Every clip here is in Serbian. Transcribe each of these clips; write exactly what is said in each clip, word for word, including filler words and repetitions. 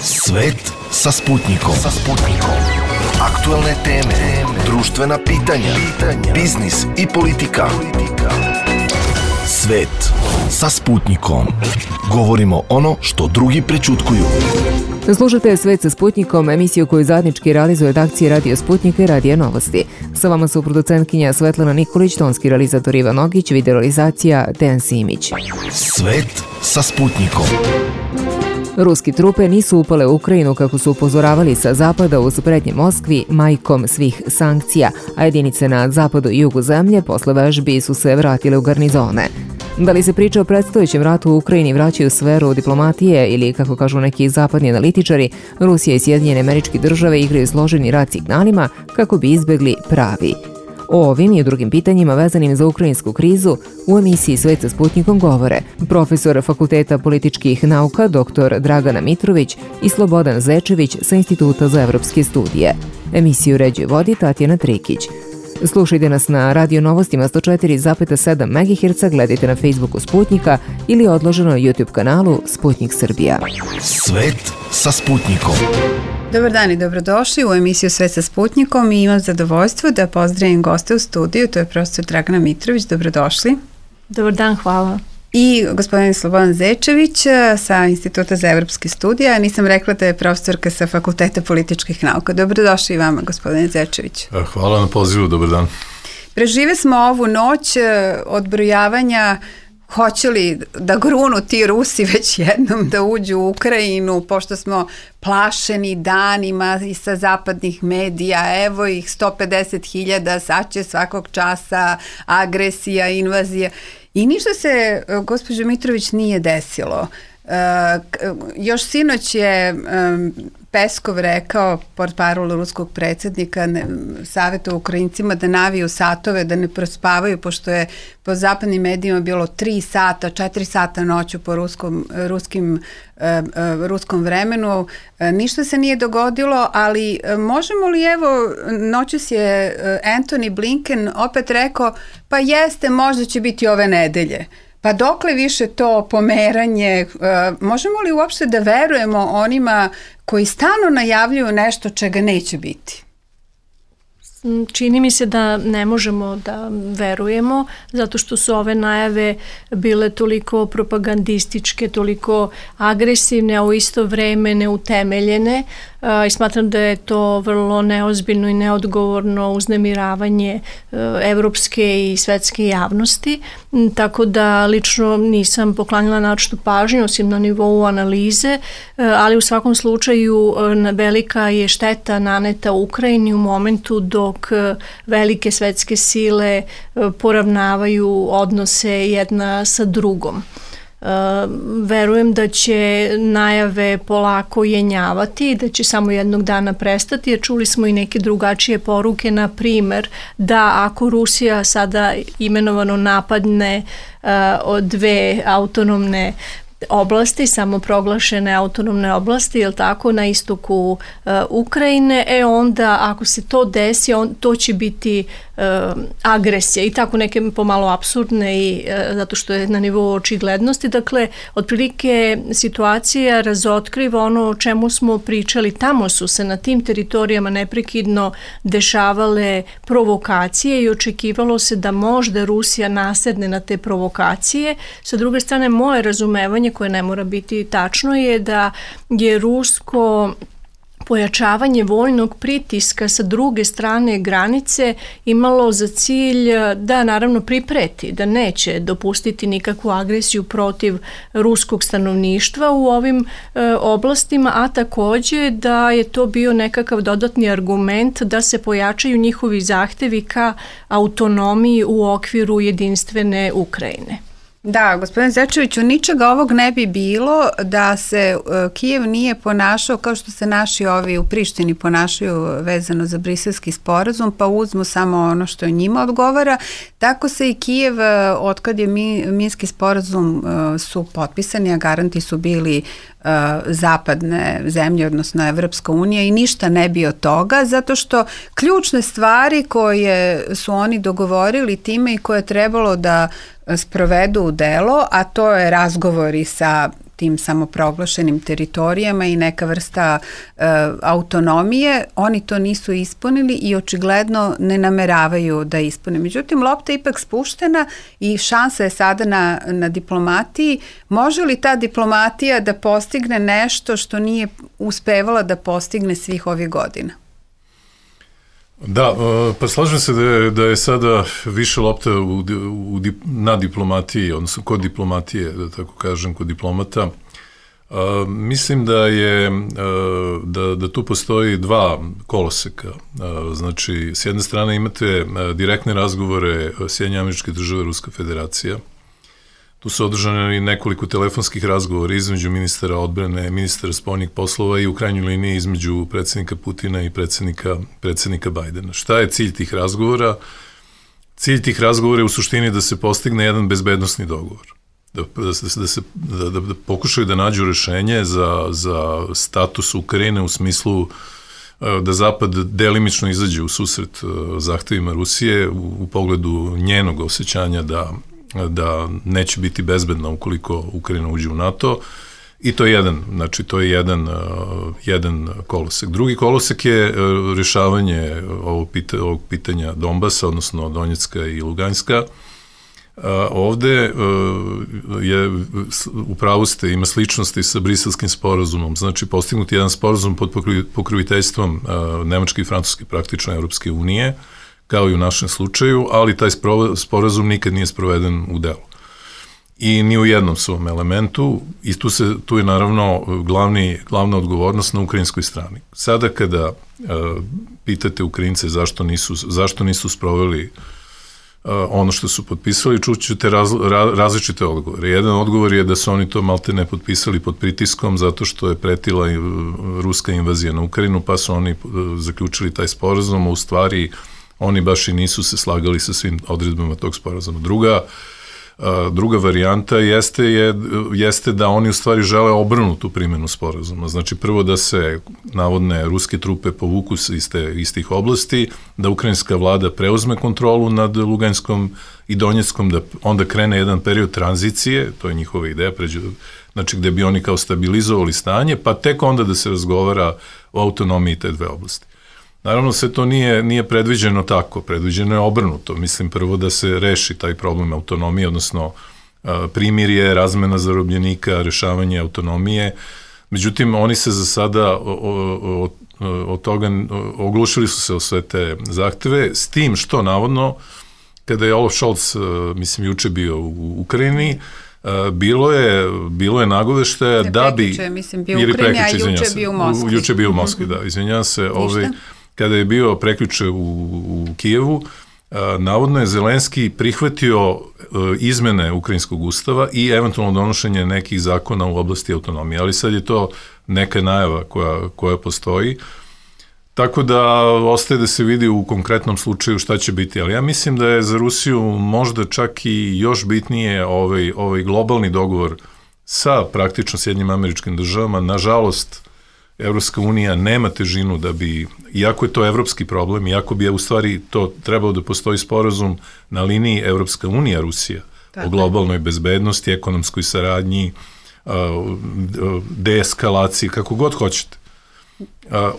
Svet sa Sputnikom. Sa Sputnikom. Aktualne teme, društvena pitanja, biznis i politika. Svet sa Sputnikom. Govorimo ono što drugi prećutkuju. Slušate Svet sa Sputnikom, emisiju koju zajednički realizuje redakcija Radio Sputnika i Radio Novosti. Sa vama su producentkinja Svetlana Nikolić, tonski realizator Ivan Nogić, videorealizacija Dejan Simić. Svet sa Sputnikom. Ruski trupe nisu upale u Ukrajinu kako su upozoravali sa zapada uz prednje Moskvi majkom svih sankcija, a jedinice na zapadu i jugu zemlje posle vežbi su se vratile u garnizone. Da li se priča o predstojećem ratu u Ukrajini vraćaju u sferu diplomatije ili, kako kažu neki zapadni analitičari, Rusija i Sjedinjene Američke Države igraju složeni rat signalima kako bi izbegli pravi? O ovim i o drugim pitanjima vezanim za ukrajinsku krizu u emisiji Svet sa Sputnikom govore profesor Fakulteta političkih nauka dr Dragana Mitrović i Slobodan Zečević sa Instituta za evropske studije. Emisiju uređuje vodi Tatjana Trikić. Slušajte nas na Radio Novostima sto četiri zarez sedam megaherca, gledajte na Facebooku Sputnika ili odloženo na YouTube kanalu Sputnik Srbija. Svet sa Sputnikom. Dobar dan i dobrodošli u emisiju Svet sa Sputnikom i imam zadovoljstvo da pozdravim goste u studiju, to je profesor Dragana Mitrović, dobrodošli. Dobar dan, hvala. I gospodin Slobodan Zečević sa Instituta za evropske studije, nisam rekla da je profesorka sa Fakulteta političkih nauka. Dobrodošli i vama, gospodine Zečević. Hvala na pozivu, dobar dan. Prežive smo ovu noć odbrojavanja. Hoće li da grunu ti Rusi već jednom da uđu u Ukrajinu, pošto smo plašeni danima i sa zapadnih medija, evo ih sto pedeset hiljada, sad će svakog časa agresija, invazija. I ništa se, gospođo Mitrović, nije desilo. Uh, još sinoć je um, Peskov rekao, portparol ruskog predsjednika, savjetovao Ukrajincima da naviju satove, da ne prospavaju, pošto je po zapadnim medijima bilo tri sata, četiri sata noću po ruskom, ruskim, uh, uh, ruskom vremenu. Uh, ništa se nije dogodilo, ali uh, možemo li, evo, noćus je uh, Antony Blinken opet rekao, pa jeste, možda će biti ove nedelje. Pa dokle više to pomeranje, uh, možemo li uopšte da verujemo onima koji stalno najavljuju nešto čega neće biti? Čini mi se da ne možemo da verujemo, zato što su ove najave bile toliko propagandističke, toliko agresivne, a u isto vreme neutemeljene, i smatram da je to vrlo neozbiljno i neodgovorno uznemiravanje evropske i svetske javnosti, tako da lično nisam poklanjala naročitu pažnju, osim na nivou analize, ali u svakom slučaju velika je šteta naneta Ukrajini u momentu dok velike svetske sile poravnavaju odnose jedna sa drugom. Uh, verujem da će najave polako jenjavati i da će samo jednog dana prestati, jer čuli smo i neke drugačije poruke, na primer da ako Rusija sada imenovano napadne uh, od dve autonomne oblasti, samoproglašene autonomne oblasti, jel tako, na istoku uh, Ukrajine, e onda ako se to desi, on, to će biti uh, agresija i tako neke pomalo apsurdne i uh, zato što je na nivou očiglednosti. Dakle, otprilike situacija razotkriva ono o čemu smo pričali. Tamo su se na tim teritorijama neprekidno dešavale provokacije i očekivalo se da možda Rusija nasedne na te provokacije. Sa druge strane, moje razumevanje, koje ne mora biti tačno, je da je rusko pojačavanje vojnog pritiska sa druge strane granice imalo za cilj da naravno pripreti, da neće dopustiti nikakvu agresiju protiv ruskog stanovništva u ovim e, oblastima, a takođe da je to bio nekakav dodatni argument da se pojačaju njihovi zahtevi ka autonomiji u okviru jedinstvene Ukrajine. Da, gospodin Zečeviću, ničega ovog ne bi bilo da se uh, Kijev nije ponašao kao što se naši ovi u Prištini ponašaju vezano za briselski sporazum, pa uzmu samo ono što njima odgovara. Tako se i Kijev, uh, otkad je mi, Minski sporazum uh, su potpisani, a garanti su bili uh, zapadne zemlje, odnosno Evropska unija, i ništa ne bi od toga, zato što ključne stvari koje su oni dogovorili time i koje je trebalo da sprovedu u delo, a to je razgovori sa tim samoproglašenim teritorijama i neka vrsta e, autonomije, oni to nisu ispunili i očigledno ne nameravaju da ispune. Međutim, lopta je ipak spuštena i šansa je sada na, na diplomatiji. Može li ta diplomatija da postigne nešto što nije uspevala da postigne svih ovih godina? Da, pa slažem se da je, da je sada više lopta u, u, na diplomatiji, odnosno kod diplomatije, da tako kažem, kod diplomata. Uh, mislim da je uh, da, da tu postoji dva koloseka. Uh, znači, s jedne strane imate uh, direktne razgovore Sjedinjenih Američkih Država i Ruska Federacija. Tu su održane nekoliko telefonskih razgovora između ministara odbrane, ministara spoljnih poslova i u krajnjoj liniji između predsjednika Putina i predsjednika, predsjednika Bajdena. Šta je cilj tih razgovora? Cilj tih razgovora je u suštini da se postigne jedan bezbednosni dogovor. Da, da, da, se, da, da, da pokušaju da nađu rešenje za, za status Ukrajine u smislu da Zapad delimično izađe u susret zahtevima Rusije u, u pogledu njenog osjećanja da da neće biti bezbedna ukoliko Ukrajina uđe u NATO, i to je jedan, znači to je jedan, uh, jedan kolosek. Drugi kolosek je uh, rješavanje ovog, pita, ovog pitanja Donbasa, odnosno Donjecka i Luganska. Uh, ovde uh, je, u pravu ste, ima sličnosti sa Briselskim sporazumom, znači postignuti jedan sporazum pod pokroviteljstvom uh, Nemačke i Francuske, praktično Evropske unije, kao i u našem slučaju, ali taj sporazum nikad nije sproveden u delu. I ni u jednom svom elementu, i tu, se, tu je naravno glavni, glavna odgovornost na ukrajinskoj strani. Sada kada uh, pitate Ukrajince zašto nisu, zašto nisu sproveli uh, ono što su potpisali, čućete raz, ra, različite odgovore. Jedan odgovor je da su oni to malte ne potpisali pod pritiskom zato što je pretila ruska invazija na Ukrajinu, pa su oni uh, zaključili taj sporazum, a u stvari oni baš i nisu se slagali sa svim odredbama tog sporazuma. Druga, druga varijanta jeste, je, jeste da oni u stvari žele obrnutu primjenu sporazuma. Znači prvo da se navodne ruske trupe povuku iz, te, iz tih oblasti, da ukrajinska vlada preuzme kontrolu nad Luganskom i Donjeckom, da onda krene jedan period tranzicije, to je njihova ideja, pređu, znači gde bi oni kao stabilizovali stanje, pa tek onda da se razgovara o autonomiji te dve oblasti. Naravno, sve to nije, nije predviđeno tako, predviđeno je obrnuto. Mislim prvo da se reši taj problem autonomije, odnosno primirje, razmena zarobljenika, rešavanje autonomije. Međutim, oni se za sada od toga oglušili su se o sve te zahteve, s tim što navodno, kada je Olaf Scholz, mislim, juče bio u Ukrajini, bilo je, bilo je nagoveštaja da bi... Prekjuče, mislim, bio u Ukrajini, a juče bio u Moskvi. Juče bio u Moskvi, da, izvinjam se. Ovaj, kada je bio prekjuče u, u Kijevu, a, navodno je Zelenski prihvatio a, izmene ukrajinskog ustava i eventualno donošenje nekih zakona u oblasti autonomije, ali sad je to neka najava koja, koja postoji. Tako da ostaje da se vidi u konkretnom slučaju šta će biti, ali ja mislim da je za Rusiju možda čak i još bitnije ovaj, ovaj globalni dogovor sa praktično Sjedinjenim Američkim Državama. Nažalost, Evropska unija nema težinu da bi, iako je to evropski problem, iako bi je u stvari to trebao da postoji sporazum na liniji Evropska unija Rusija tako o globalnoj bezbednosti, ekonomskoj saradnji, deeskalaciji, kako god hoćete.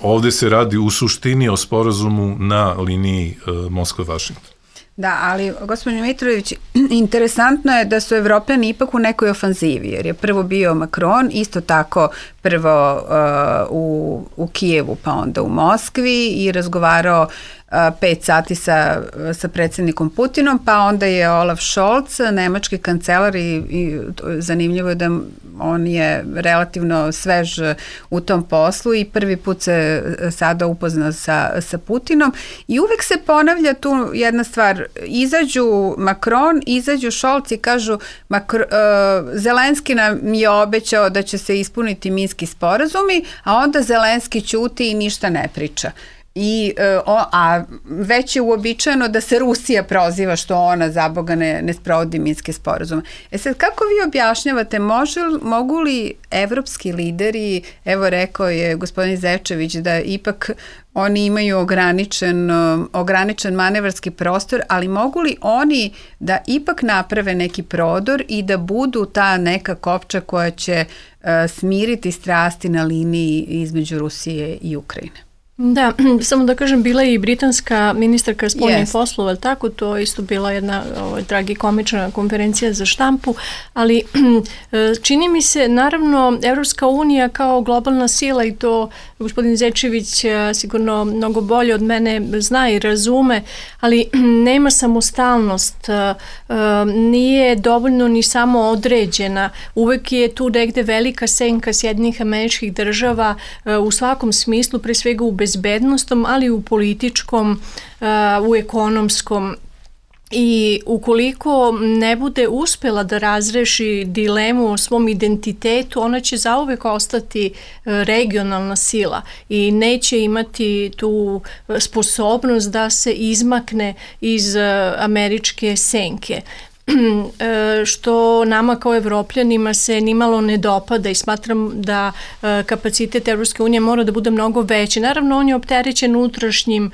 Ovde se radi u suštini o sporazumu na liniji Moskva-Vašington. Da, ali gospodin Mitrović, interesantno je da su Evropljani ipak u nekoj ofanzivi, jer je prvo bio Macron, isto tako prvo uh, u, u Kijevu, pa onda u Moskvi i razgovarao uh, pet sati sa, sa predsjednikom Putinom, pa onda je Olaf Scholz, nemački kancelar, i, i zanimljivo je da on je relativno svež u tom poslu i prvi put se sada upoznao sa, sa Putinom i uvek se ponavlja tu jedna stvar, izađu Macron, izađu Scholz i kažu Macron, uh, Zelenski nam je obećao da će se ispuniti minski sporazumi, a onda Zelenski ćuti i ništa ne priča. I, o, a već je uobičajeno da se Rusija proziva što ona za Boga ne, ne sprovodi minske sporazume. E sad, kako vi objašnjavate, može, mogu li evropski lideri, evo rekao je gospodin Zečević da ipak oni imaju ograničen, ograničen manevarski prostor, ali mogu li oni da ipak naprave neki prodor i da budu ta neka kopča koja će smiriti strasti na liniji između Rusije i Ukrajine. Da, samo da kažem, bila je i britanska ministarka spoljnih yes. poslova, tako, to je isto bila jedna ovaj, tragikomična konferencija za štampu, ali čini mi se, naravno, Evropska unija kao globalna sila, i to gospodin Zečević sigurno mnogo bolje od mene zna i razume, ali nema samostalnost, nije dovoljno ni samo određena, uvek je tu negde velika senka Sjedinjenih Američkih Država u svakom smislu, pre svega u bezbednostom, ali i u političkom, u ekonomskom. I ukoliko ne bude uspela da razreši dilemu o svom identitetu, ona će zauvek ostati regionalna sila i neće imati tu sposobnost da se izmakne iz američke senke, što nama kao Evropljanima se nimalo ne dopada i smatram da kapacitet Evropske unije mora da bude mnogo veći. Naravno, on je opterećen unutrašnjim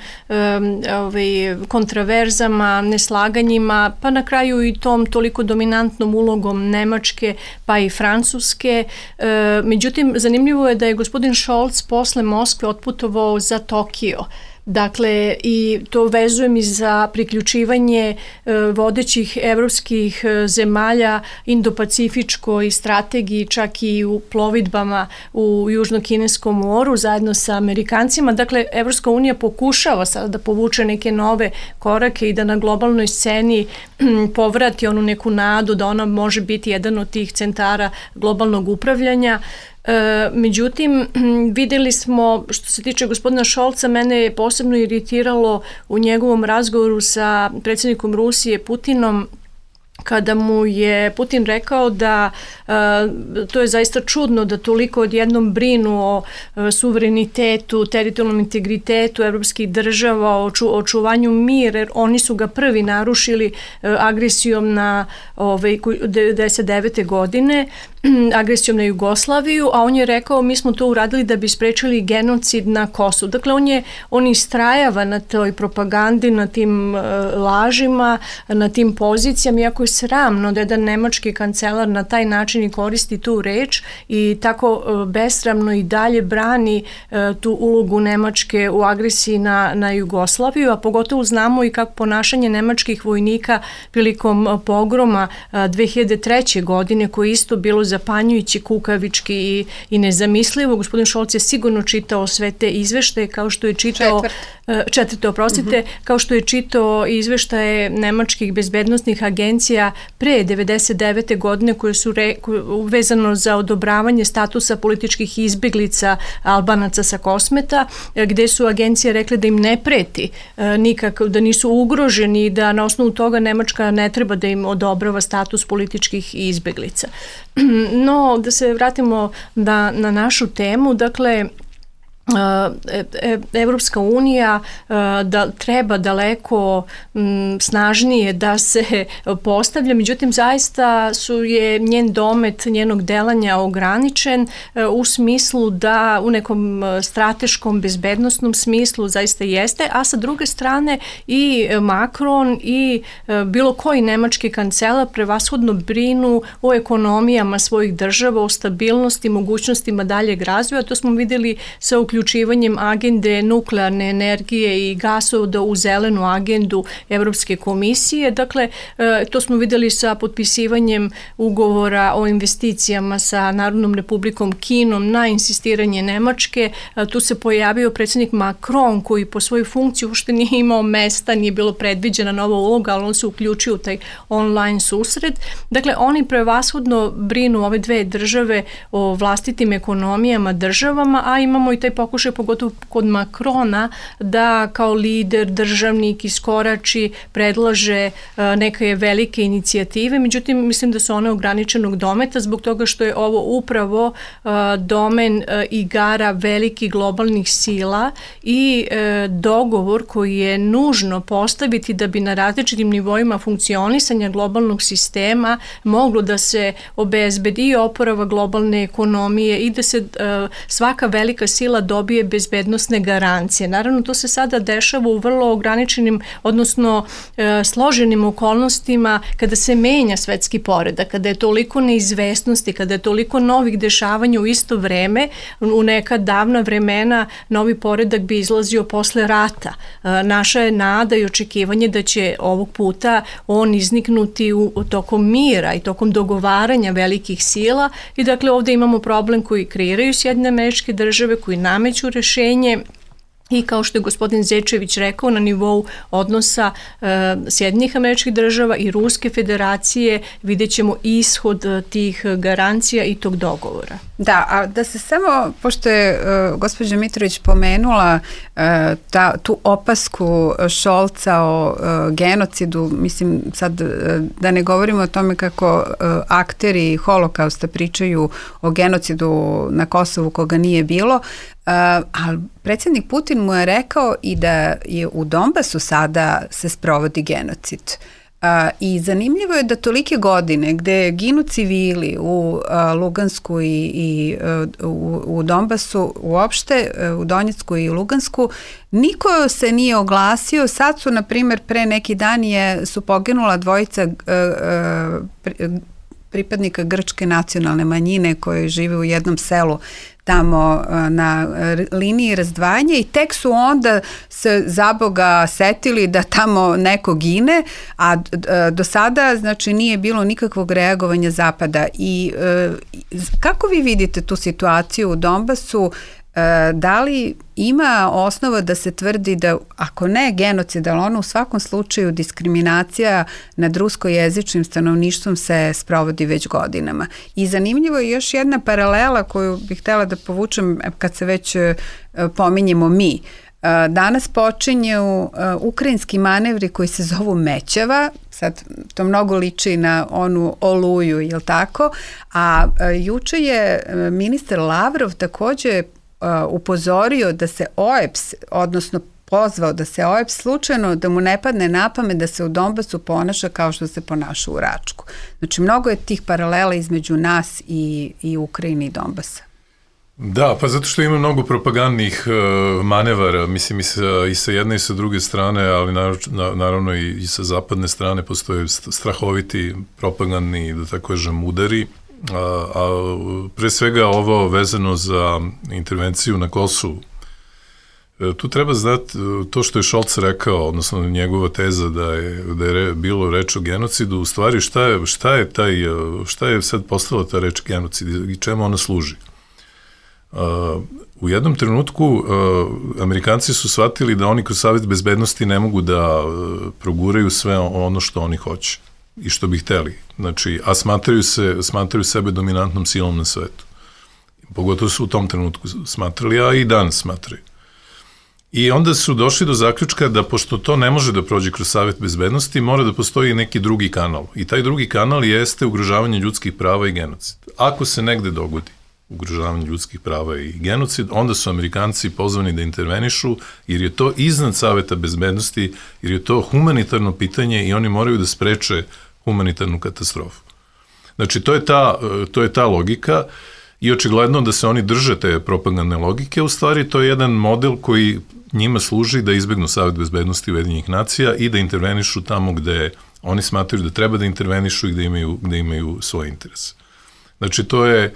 ovaj, kontraverzama, neslaganjima, pa na kraju i tom toliko dominantnom ulogom Nemačke pa i Francuske. Međutim, zanimljivo je da je gospodin Scholz posle Moskve otputovao za Tokio. Dakle, i to vezujem i za priključivanje e, vodećih evropskih e, zemalja Indo-Pacifičkoj strategiji, čak i u plovidbama u Južno-Kineskom moru zajedno sa Amerikancima. Dakle, Evropska unija pokušava sada da povuče neke nove korake i da na globalnoj sceni hm, povrati onu neku nadu da ona može biti jedan od tih centara globalnog upravljanja. E, međutim, videli smo, što se tiče gospodina Šolca, mene je posebno iritiralo u njegovom razgovoru sa predsjednikom Rusije Putinom, kada mu je Putin rekao da uh, to je zaista čudno da toliko odjednom brinu o uh, suverenitetu, teritorijalnom integritetu evropskih država, o ču, očuvanju mira, jer oni su ga prvi narušili uh, agresijom na ovaj, devedeset devete godine, agresijom na Jugoslaviju, a on je rekao mi smo to uradili da bi sprečili genocid na Kosovu. Dakle, on je on istrajava na toj propagandi, na tim uh, lažima, na tim pozicijama, iako je sramno da jedan nemački kancelar na taj način i koristi tu reč i tako uh, besramno i dalje brani uh, tu ulogu Nemačke u agresiji na, na Jugoslaviju, a pogotovo znamo i kako ponašanje nemačkih vojnika prilikom uh, pogroma uh, dve hiljade treće. godine, koje isto bilo zapanjujući, kukavički i, i nezamislivo. Gospodin Scholz je sigurno čitao sve te izveštaje, kao što je čitao Četvrt. četvrte, oprostite, mm-hmm. kao što je čitao izveštaje nemačkih bezbednostnih agencija pre devedeset devete. godine, koje su re, koje, vezano za odobravanje statusa političkih izbeglica Albanaca sa Kosmeta, gde su agencije rekle da im ne preti nikako, da nisu ugroženi, da na osnovu toga Nemačka ne treba da im odobrava status političkih izbeglica. No, da se vratimo na, na našu temu, dakle, Evropska unija da treba daleko snažnije da se postavlja, međutim zaista su je njen domet njenog delanja ograničen u smislu da u nekom strateškom bezbednosnom smislu zaista jeste, a sa druge strane i Macron i bilo koji nemački kancelar prevashodno brinu o ekonomijama svojih država, o stabilnosti, mogućnostima daljeg razvoja. To smo videli sa uključivanjem uključivanjem agende nuklearne energije i gasovoda u zelenu agendu Evropske komisije. Dakle, to smo videli sa potpisivanjem ugovora o investicijama sa Narodnom republikom Kinom na insistiranje Nemačke. Tu se pojavio predsjednik Macron, koji po svojoj funkciji uopšte nije imao mesta, nije bilo predviđena nova uloga, ali on se uključio u taj online susret. Dakle, oni prevashodno brinu ove dve države o vlastitim ekonomijama, državama, a imamo i taj pokušaj, pogotovo kod Macrona, da kao lider, državnik iskorači, predlaže neke velike inicijative, međutim mislim da su one ograničenog dometa zbog toga što je ovo upravo domen igara velikih globalnih sila i dogovor koji je nužno postaviti da bi na različitim nivoima funkcionisanja globalnog sistema moglo da se obezbedi i oporava globalne ekonomije i da se svaka velika sila do dobije bezbednosne garancije. Naravno, to se sada dešava u vrlo ograničenim, odnosno e, složenim okolnostima kada se menja svetski poredak, kada je toliko neizvesnosti, kada je toliko novih dešavanja u isto vreme. U neka davna vremena novi poredak bi izlazio posle rata. E, naša je nada i očekivanje da će ovog puta on izniknuti u, u tokom mira i tokom dogovaranja velikih sila i dakle ovde imamo problem koji kreiraju Sjedinjene Američke Države, koji nameću rešenje i kao što je gospodin Zečević rekao, na nivou odnosa e, Sjedinjenih Američkih Država i Ruske Federacije vidjet ćemo ishod tih garancija i tog dogovora. Da, a da se samo, pošto je uh, gospođa Mitrović pomenula uh, ta, tu opasku Šolca o uh, genocidu, mislim sad uh, da ne govorimo o tome kako uh, akteri holokausta pričaju o genocidu na Kosovu koga nije bilo, Uh, ali predsjednik Putin mu je rekao i da je u Donbasu sada se sprovodi genocid. Uh, I zanimljivo je da tolike godine gde ginu civili u uh, Lugansku i, i uh, u, u Donbasu uopšte, uh, u Donjecku i Lugansku, niko se nije oglasio. Sad su, na primjer, pre neki dan je, su poginula dvojica uh, uh, pri, pripadnika grčke nacionalne manjine koje žive u jednom selu tamo na liniji razdvajanja i tek su onda se za Boga setili da tamo neko gine, a do sada znači nije bilo nikakvog reagovanja Zapada. I kako vi vidite tu situaciju u Donbasu? Da li ima osnova da se tvrdi da, ako ne genocid, ali ono u svakom slučaju diskriminacija nad ruskojezičnim stanovništvom se sprovodi već godinama? I zanimljivo je još jedna paralela koju bih htjela da povučem kad se već pominjemo mi. Danas počinju ukrajinski manevri koji se zovu Mećava, sad to mnogo liči na onu Oluju, jel tako? A juče je ministar Lavrov takođe upozorio da se O E P S, odnosno pozvao da se O E P S slučajno, da mu ne padne na pamet da se u Donbasu ponaša kao što se ponaša u Račku. Znači, mnogo je tih paralela između nas i, i Ukrajine i Donbasa. Da, pa zato što ima mnogo propagandnih uh, manevara, mislim i sa, i sa jedne i sa druge strane, ali naravno, naravno i, i sa zapadne strane postoje strahoviti propagandni, da tako kažem, udari. A, a pre svega ovo vezano za intervenciju na Kosovu. E, tu treba znati to što je Šolc rekao, odnosno njegova teza da je, da je re, bilo reč o genocidu, u stvari šta je, šta je, taj, šta je sad postala ta reč genocid i čemu ona služi. A, u jednom trenutku a, Amerikanci su shvatili da oni kroz Savet bezbednosti ne mogu da a, proguraju sve ono što oni hoće i što bi hteli. Znači, a smatraju se, smatraju sebe dominantnom silom na svetu. Pogotovo su u tom trenutku smatrali, a i danas smatraju. I onda su došli do zaključka da pošto to ne može da prođe kroz Savet bezbednosti, mora da postoji neki drugi kanal. I taj drugi kanal jeste ugrožavanje ljudskih prava i genocid. Ako se negde dogodi ugrožavanje ljudskih prava i genocid, onda su Amerikanci pozvani da intervenišu, jer je to iznad Saveta bezbednosti, jer je to humanitarno pitanje i oni moraju da spreče humanitarnu katastrofu. Znači, to je ta, to je ta logika i očigledno da se oni drže te propagandne logike, u stvari to je jedan model koji njima služi da izbegnu Savet bezbednosti Ujedinjenih nacija i da intervenišu tamo gde oni smatraju da treba da intervenišu i gde imaju, gde imaju svoje interese. Znači, to je,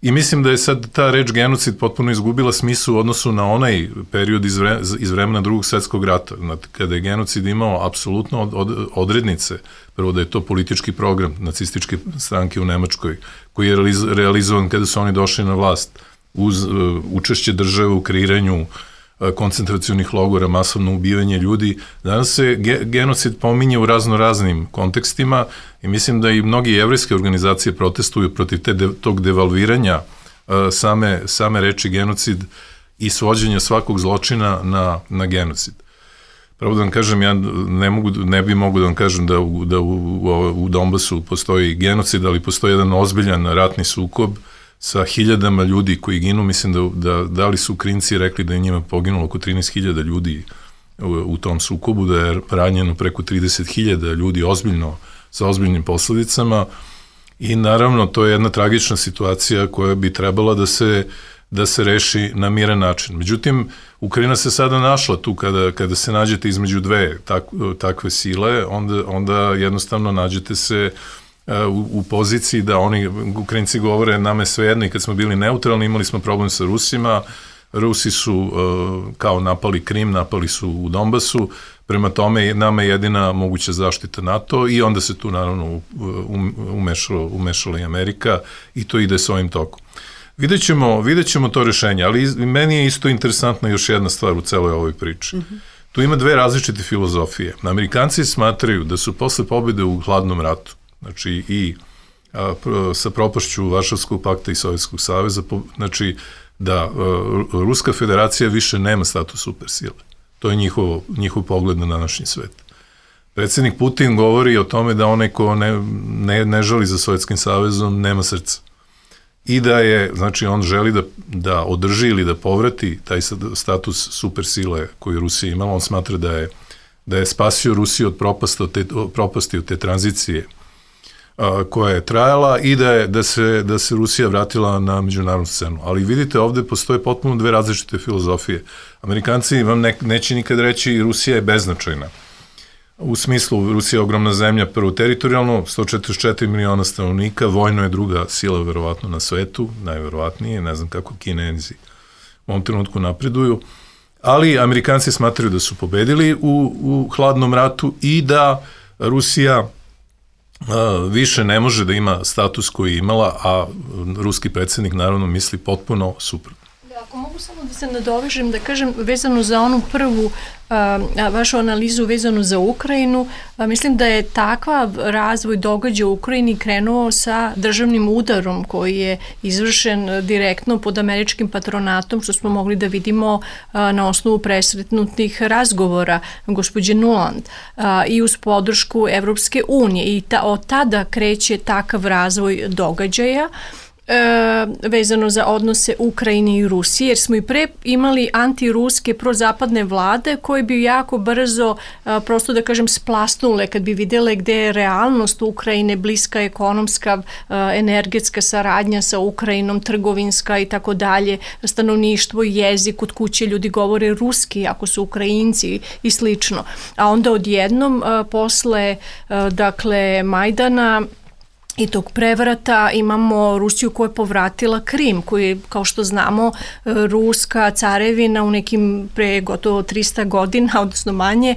i mislim da je sad ta reč genocid potpuno izgubila smislu u odnosu na onaj period iz, vre, iz vremena drugog svetskog rata, znači, kada je genocid imao apsolutno od, od, odrednice, prvo da je to politički program nacističke stranke u Nemačkoj, koji je realiz, realizovan kada su oni došli na vlast, uz uh, učešće države u kreiranju uh, koncentracionih logora, masovno ubivanje ljudi. Danas se ge, genocid pominje u razno raznim kontekstima i mislim da i mnogi jevrejske organizacije protestuju protiv te de, tog devalviranja uh, same, same reči genocid i svođenja svakog zločina na, na genocid. Pravo da vam kažem, ja ne, mogu, ne bi mogu da vam kažem da, u, da u, u, u Donbasu postoji genocid, ali postoji jedan ozbiljan ratni sukob sa hiljadama ljudi koji ginu. Mislim da, da, da li su Ukrajinci rekli da je njima poginulo oko trinaest hiljada ljudi u, u tom sukobu, da je ranjeno preko trideset hiljada ljudi ozbiljno, sa ozbiljnim posledicama i naravno to je jedna tragična situacija koja bi trebala da se da se reši na miran način. Međutim, Ukrajina se sada našla tu kada, kada se nađete između dve tak, takve sile, onda, onda jednostavno nađete se u, u poziciji da oni, Ukrajinci govore, nama je svejedno i kad smo bili neutralni, imali smo problem sa Rusima, Rusi su uh, kao napali Krim, napali su u Donbasu, prema tome nama je jedina moguća zaštita NATO i onda se tu naravno umešala, umešala i Amerika i to ide s ovim tokom. Vidjet ćemo, vidjet ćemo to rešenje, ali meni je isto interesantna još jedna stvar u celoj ovoj priči. Mm-hmm. Tu ima dve različite filozofije. Amerikanci smatraju da su posle pobjede u hladnom ratu, znači i a, sa propašću Varšavskog pakta i Sovjetskog saveza, po, znači da a, Ruska federacija više nema status supersile. To je njihov, njihov pogled na današnji svet. Predsjednik Putin govori o tome da onaj ko ne, ne, ne žali za Sovjetskim savezom nema srca. I da je, znači on želi da, da održi ili da povrati taj status supersile koju Rusija imala. On smatra da je, da je spasio Rusiju od propasti, od te, propasti, od te tranzicije a, koja je trajala i da, je, da, se, da se Rusija vratila na međunarodnu scenu. Ali vidite, ovde postoje potpuno dve različite filozofije. Amerikanci vam ne, neće nikad reći Rusija je beznačajna. U smislu, Rusija je ogromna zemlja, prvo teritorijalno, sto četrdeset četiri miliona stanovnika, vojno je druga sila verovatno na svetu, najverovatnije, ne znam kako Kinezi u ovom trenutku napreduju, ali Amerikanci smatraju da su pobedili u, u hladnom ratu i da Rusija a, više ne može da ima status koji je imala, a ruski predsjednik naravno misli potpuno suprotno. Ako mogu samo da se nadovežem, da kažem, vezano za onu prvu a, a, vašu analizu vezanu za Ukrajinu, a, mislim da je takav razvoj događaja u Ukrajini krenuo sa državnim udarom koji je izvršen direktno pod američkim patronatom, što smo mogli da vidimo a, na osnovu presretnutih razgovora gospođe Nuland a, i uz podršku Evropske unije. I ta, od tada kreće takav razvoj događaja. E, vezano za odnose Ukrajine i Rusije, jer smo i pre imali antiruske prozapadne vlade koje bi jako brzo, a, prosto da kažem, splasnule kad bi videle gde je realnost Ukrajine, bliska ekonomska, a, energetska saradnja sa Ukrajinom, trgovinska i tako dalje, stanovništvo, jezik, kod kuće ljudi govore ruski ako su Ukrajinci i slično. A onda odjednom a, posle a, dakle Majdana i tog prevrata imamo Rusiju koja je povratila Krim, koji je, kao što znamo, ruska carevina u nekim pre gotovo trista godina, odnosno manje,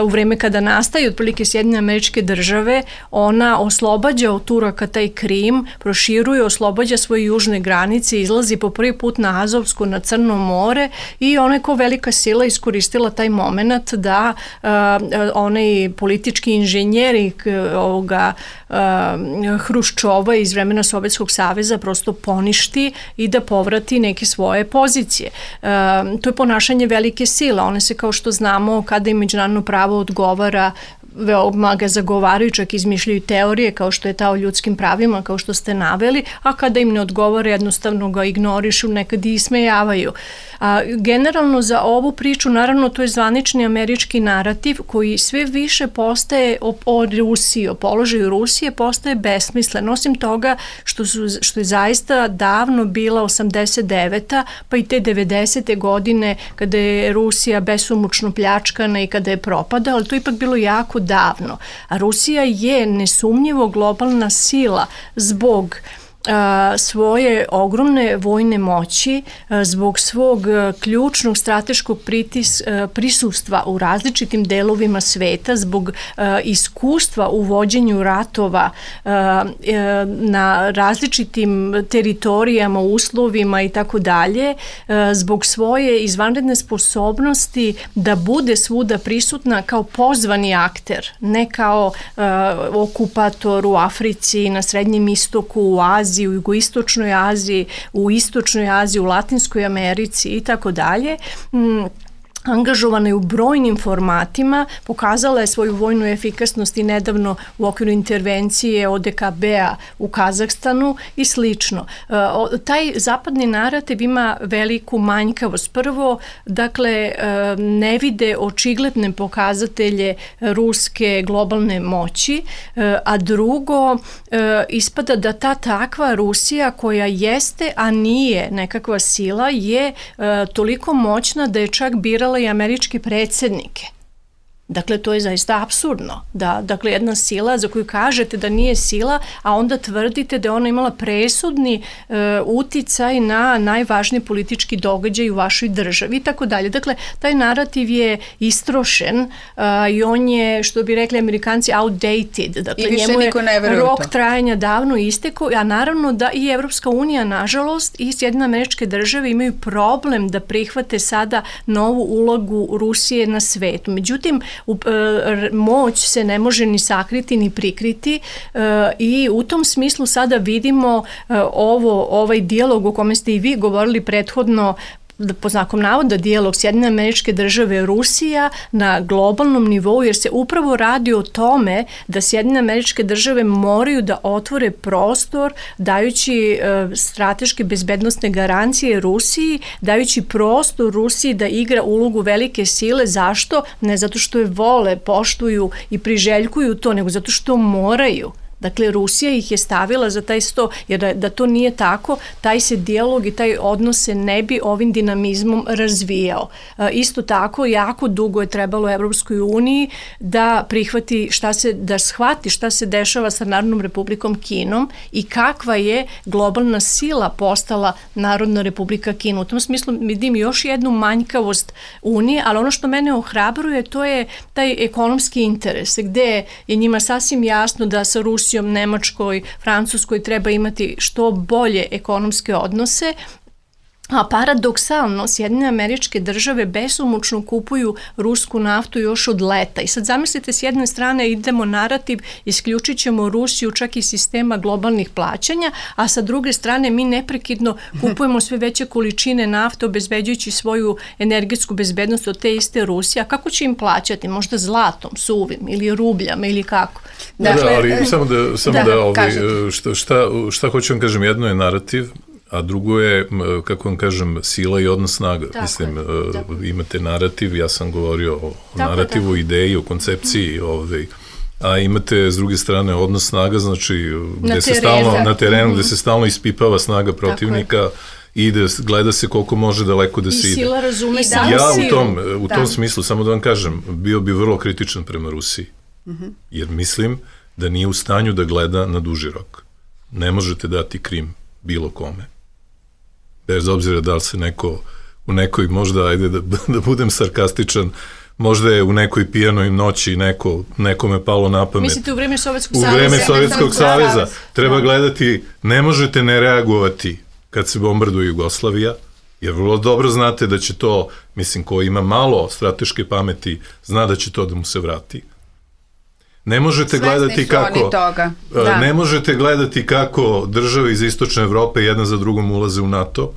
u vreme kada nastaje otprilike Sjedinjene Američke Države, ona oslobađa od Turaka taj Krim, proširuje, oslobađa svoje južne granice, izlazi po prvi put na Azovsku, na Crno more i ona je kao velika sila iskoristila taj moment da uh, onaj politički inženjeri ovoga uh, Hruščova iz vremena Sovjetskog saveza prosto poništi i da povrati neke svoje pozicije. E, to je ponašanje velike sile. One se, kao što znamo, kada im međunarodno pravo odgovara, veoma ga zagovaraju, čak izmišljaju teorije kao što je ta o ljudskim pravima, kao što ste naveli, a kada im ne odgovara, jednostavno ga ignorišu, nekad i ismejavaju. A, generalno za ovu priču, naravno, to je zvanični američki narativ koji sve više postaje o, o Rusiji, o položaju Rusije, postaje besmislen. Osim toga što, su, što je zaista davno bila osamdeset deveta pa i te devedesete godine kada je Rusija besomučno pljačkana i kada je propadala, ali to je ipak bilo jako davno. A Rusija je nesumnjivo globalna sila zbog a, svoje ogromne vojne moći, a, zbog svog a, ključnog strateškog pritis, a, prisustva u različitim delovima sveta, zbog a, iskustva u vođenju ratova a, a, na različitim teritorijama, uslovima i tako dalje, zbog svoje izvanredne sposobnosti da bude svuda prisutna kao pozvani akter, ne kao a, okupator u Africi, na Srednjem istoku, u Aziji, u jugoistočnoj Aziji, u istočnoj Aziji, u Latinskoj Americi i tako dalje. angažovana je u brojnim formatima, pokazala je svoju vojnu efikasnost i nedavno u okviru intervencije O D K B-a u Kazahstanu i slično. Taj zapadni narativ ima veliku manjkavost. Prvo, dakle, ne vide očigledne pokazatelje ruske globalne moći, a drugo, ispada da ta takva Rusija koja jeste, a nije nekakva sila, je toliko moćna da je čak birala i američke predsjednike. Dakle, to je zaista apsurdno. Da, dakle, jedna sila za koju kažete da nije sila, a onda tvrdite da je ona imala presudni e, uticaj na najvažniji politički događaj u vašoj državi i tako dalje. Dakle, taj narativ je istrošen a, i on je, što bi rekli Amerikanci, outdated. Dakle, njemu je rok trajanja davno istekao, a naravno da i Evropska unija, nažalost, i Sjedinjene Američke Države imaju problem da prihvate sada novu ulogu Rusije na svetu. Međutim, U, e, moć se ne može ni sakriti ni prikriti e, i u tom smislu sada vidimo e, ovo, ovaj dijalog o kome ste i vi govorili prethodno, po znakom navoda dijalog Sjedinjene Američke Države Rusija na globalnom nivou, jer se upravo radi o tome da Sjedinjene Američke Države moraju da otvore prostor dajući e, strateške bezbednosne garancije Rusiji, dajući prostor Rusiji da igra ulogu velike sile. Zašto? Ne zato što je vole, poštuju i priželjkuju to, nego zato što moraju. Dakle, Rusija ih je stavila za taj sto, jer da, da to nije tako, taj se dijalog i taj odnos se ne bi ovim dinamizmom razvijao. E, isto tako, jako dugo je trebalo Evropskoj uniji da prihvati šta se, da shvati šta se dešava sa Narodnom Republikom Kinom i kakva je globalna sila postala Narodna Republika Kina. U tom smislu vidim još jednu manjkavost Unije, ali ono što mene ohrabruje, to je taj ekonomski interes, gde je njima sasvim jasno da sa Rusijom, Nemačkoj, Francuskoj treba imati što bolje ekonomske odnose, a paradoksalno Sjedinjene Američke Države besomučno kupuju rusku naftu još od leta. I sad zamislite, s jedne strane idemo narativ, isključit ćemo Rusiju čak i sistema globalnih plaćanja, a sa druge strane mi neprekidno kupujemo sve veće količine nafte, obezbeđujući svoju energetsku bezbednost od te iste Rusije. A kako će im plaćati? Možda zlatom, suvim ili rubljama ili kako? Dakle, da, ali samo da, samo da, da ovaj, šta, šta, šta hoću vam kažem, jedno je narativ, a drugo je, kako vam kažem, sila i odnos snaga. Tako Mislim, je, imate narativ, ja sam govorio o tako narativu, je, ideji, o koncepciji, ovaj, a imate s druge strane odnos snaga, znači gde se stalno, na terenu, mm-hmm. gde se stalno ispipava snaga protivnika i da gleda se koliko može daleko da se ide. I sila razume i ja u tom, u tom smislu, samo da vam kažem, bio bi vrlo kritičan prema Rusiji, mm-hmm. jer mislim da nije u stanju da gleda na duži rok. Ne možete dati Krim bilo kome. Bez obzira da li se neko u nekoj, možda, ajde da, da budem sarkastičan, možda je u nekoj pijanoj noći neko, nekome palo na pamet. Mislite u vreme Sovjetskog u saveza? U vreme Sovjetskog saveza. Treba gledati, ne možete ne reagovati kad se bombarduje Jugoslavija, jer vrlo dobro znate da će to, mislim, ko ima malo strateške pameti, zna da će to da mu se vrati. Ne možete gledati kako da. ne možete gledati kako države iz istočne Evrope jedna za drugom ulaze u NATO.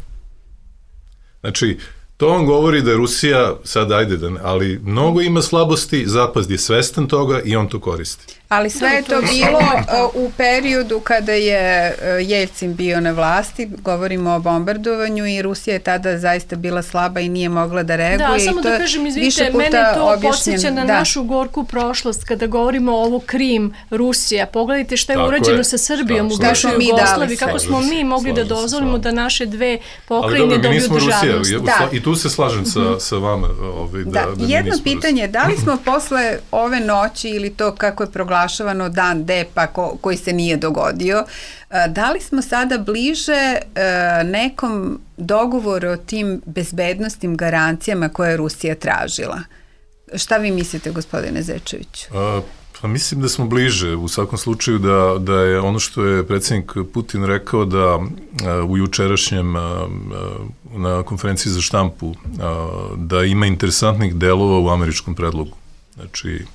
Znači, to vam govori da Rusija, sad ajde, da ne, ali mnogo ima slabosti, Zapad je svestan toga i on to koristi. Ali sve je to bilo u periodu kada je Jeljcin bio na vlasti, govorimo o bombardovanju i Rusija je tada zaista bila slaba i nije mogla da reaguje. Da, samo da kažem, izvinite, mene to podsjeća na da. našu gorku prošlost kada govorimo o ovo Krim, Rusija. Pogledajte šta je tako urađeno je. sa Srbijom u bivšoj Jugoslaviji, kako smo mi mogli da dozvolimo da naše dve pokrajine dobiju državnost. Da. I tu se slažem sa, mm-hmm. sa vama. Ovaj, da, da, da jedno pitanje, da li smo posle ove noći ili to kako je proglašeno dan D-pa ko, koji se nije dogodio, da li smo sada bliže nekom dogovoru o tim bezbednostnim garancijama koje je Rusija tražila? Šta vi mislite, gospodine Zečeviću? A, pa mislim da smo bliže. U svakom slučaju da, da je ono što je predsjednik Putin rekao da a, u jučerašnjem a, na konferenciji za štampu a, da ima interesantnih delova u američkom predlogu. Znači,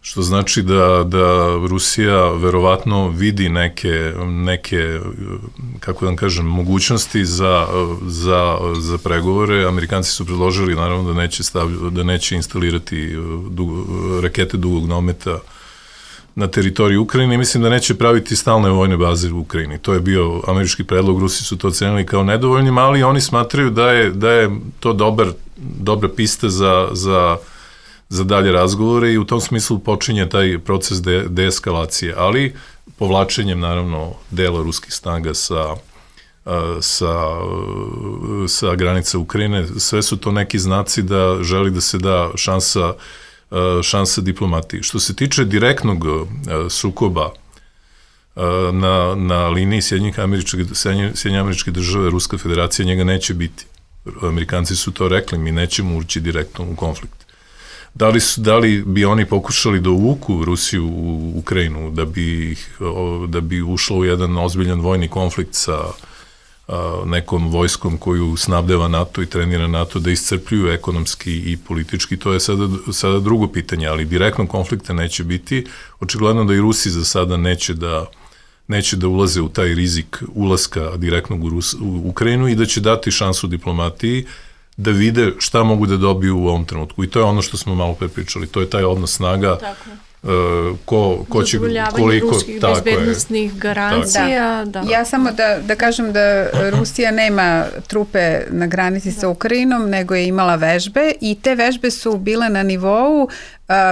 što znači da, da Rusija verovatno vidi neke, neke, kako da kažem, mogućnosti za, za, za pregovore. Amerikanci su predložili naravno da neće, stavlj, da neće instalirati dugo, rakete dugog dometa na teritoriji Ukrajine i mislim da neće praviti stalne vojne baze u Ukrajini. To je bio američki predlog, Rusi su to ocenili kao nedovoljnim, ali oni smatraju da je, da je to dobar, dobra pista za, za, za dalje razgovore i u tom smislu počinje taj proces de, deeskalacije, ali povlačenjem naravno dela ruskih snaga sa, sa, sa granica Ukrajine. Sve su to neki znaci da želi da se da šansa šansa diplomatiji. Što se tiče direktnog sukoba na, na liniji Sjedinjenih američkih, Sjedinjenih američkih države, Ruska federacija, njega neće biti. Amerikanci su to rekli, mi nećemo ući direktno u konflikt. Da li, su, da li bi oni pokušali da uvuku Rusiju u Ukrajinu, da bi, da bi ušlo u jedan ozbiljan vojni konflikt sa nekom vojskom koju snabdeva NATO i trenira NATO, da iscrpljuju ekonomski i politički, to je sada, sada drugo pitanje, ali direktnog konflikta neće biti. Očigledno da i Rusi za sada neće da, neće da ulaze u taj rizik ulaska direktnog u, Rus, u Ukrajinu i da će dati šansu diplomatiji da vide šta mogu da dobiju u ovom trenutku. I to je ono što smo malo pre pričali, to je taj odnos snaga. Tako. Uh, ko, ko će, koliko, ruskih bezbednostnih garancija. Da. Da. Ja samo da, da kažem da Rusija nema trupe na granici da. sa Ukrajinom, nego je imala vežbe i te vežbe su bile na nivou uh,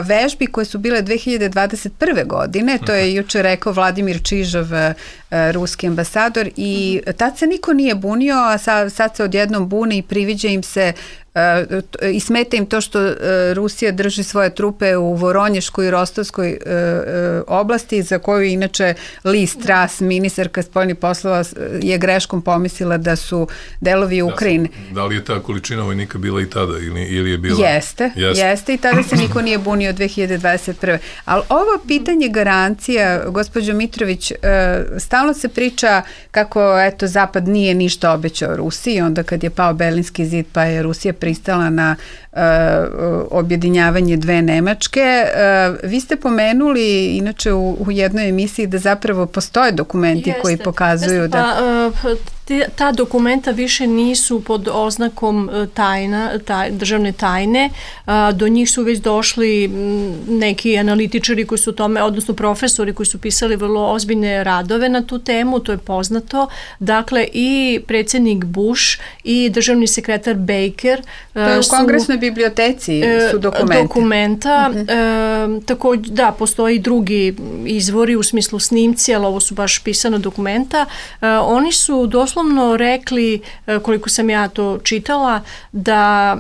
vežbi koje su bile dve hiljade dvadeset prve. godine, to je juče rekao Vladimir Čižov, uh, ruski ambasador, i tad se niko nije bunio, a sad, sad se odjednom buni i priviđa im se Uh, i smeta im to što uh, Rusija drži svoje trupe u Voronješkoj i Rostovskoj uh, uh, oblasti, za koju inače Liz Truss, ministarka spoljnih poslova, je greškom pomislila da su delovi Ukrajine. Da, da li je ta količina vojnika bila i tada ili, ili je bila? Jeste, jeste, jeste i tada se niko nije bunio dve hiljade dvadeset prve. Ali ovo pitanje garancija, gospođo Mitrović, uh, stalno se priča kako eto Zapad nije ništa obećao Rusiji, onda kad je pao Berlinski zid pa je Rusija pristala na uh, objedinjavanje dve Nemačke. Uh, vi ste pomenuli inače u, u jednoj emisiji da zapravo postoje dokumenti Jeste. koji pokazuju Jeste, da... Pa, uh, ta dokumenta više nisu pod oznakom tajna, taj, državne tajne. Do njih su već došli neki analitičari koji su tome, odnosno profesori koji su pisali vrlo ozbiljne radove na tu temu, to je poznato. Dakle, i predsjednik Bush i državni sekretar Baker to je u su, kongresnoj biblioteci su dokumenti. Dokumenta. Uh-huh. E, također, da, postoji i drugi izvori u smislu snimci, ali ovo su baš pisana dokumenta. E, oni su doslovno rekli, koliko sam ja to čitala, da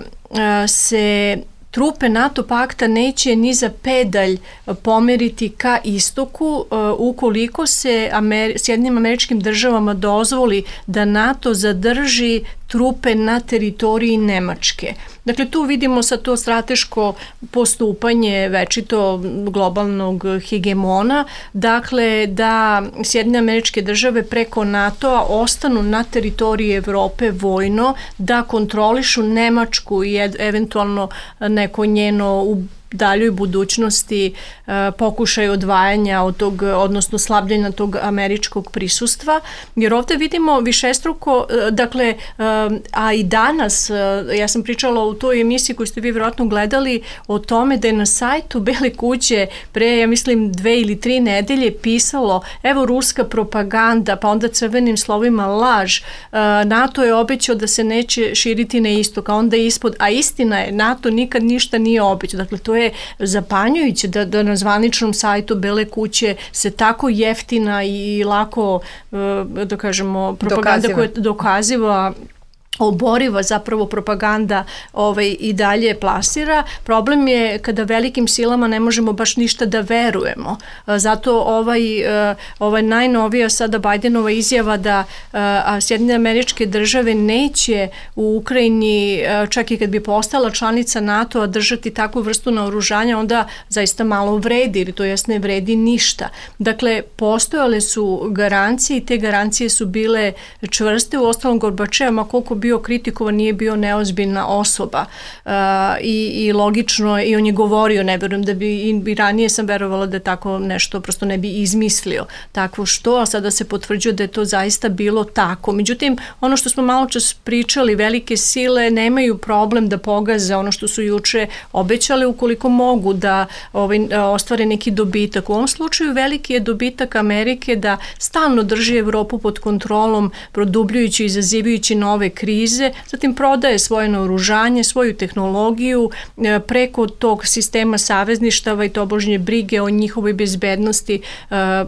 se trupe NATO pakta neće ni za pedalj pomeriti ka istoku ukoliko se Amer- Sjedinjenim Američkim Državama dozvoli da NATO zadrži trupe na teritoriji Nemačke. Dakle, tu vidimo sad to strateško postupanje večito globalnog hegemona, dakle da Sjedinjene Američke Države preko NATO-a ostanu na teritoriji Evrope vojno, da kontrolišu Nemačku i eventualno neko njeno u daljoj budućnosti uh, pokušaj odvajanja od tog, odnosno slabljenja tog američkog prisustva, jer ovde vidimo višestruko, uh, dakle, uh, a i danas, uh, ja sam pričala u toj emisiji koju ste vi vjerojatno gledali o tome da je na sajtu Bele kuće pre, ja mislim, dve ili tri nedelje pisalo, evo ruska propaganda, pa onda crvenim slovima laž, uh, NATO je obećao da se neće širiti na istok, a onda ispod, a istina je, NATO nikad ništa nije obećao, dakle, to je zapanjujuće da, da na zvaničnom sajtu Bele kuće se tako jeftina i lako, da kažemo, propaganda dokaziva. koja je dokaziva, oboriva zapravo propaganda ovaj, i dalje plasira. Problem je kada velikim silama ne možemo baš ništa da verujemo. Zato ovaj, ovaj najnovija sada Bajdenova izjava da a, Sjedinjene Američke Države neće u Ukrajini, čak i kad bi postala članica NATO-a, držati takvu vrstu naoružanja, onda zaista malo vredi, ili to jest ne vredi ništa. Dakle, postojale su garancije i te garancije su bile čvrste. U ostalom Gorbačev, ma koliko bi bio kritikovan, nije bio neozbiljna osoba uh, i, i logično i on je govorio, ne verujem da bi, i ranije sam verovala da tako nešto prosto ne bi izmislio takvo što, a sada se potvrđuje da je to zaista bilo tako. Međutim, ono što smo malo čas pričali, velike sile nemaju problem da pogaze ono što su juče obećali ukoliko mogu da ovaj, ostvare neki dobitak. U ovom slučaju veliki je dobitak Amerike da stalno drži Evropu pod kontrolom, produbljujući i izazivajući nove krize, zatim prodaje svoje naoružanje, svoju tehnologiju preko tog sistema savezništava i tobožnje brige o njihovoj bezbednosti,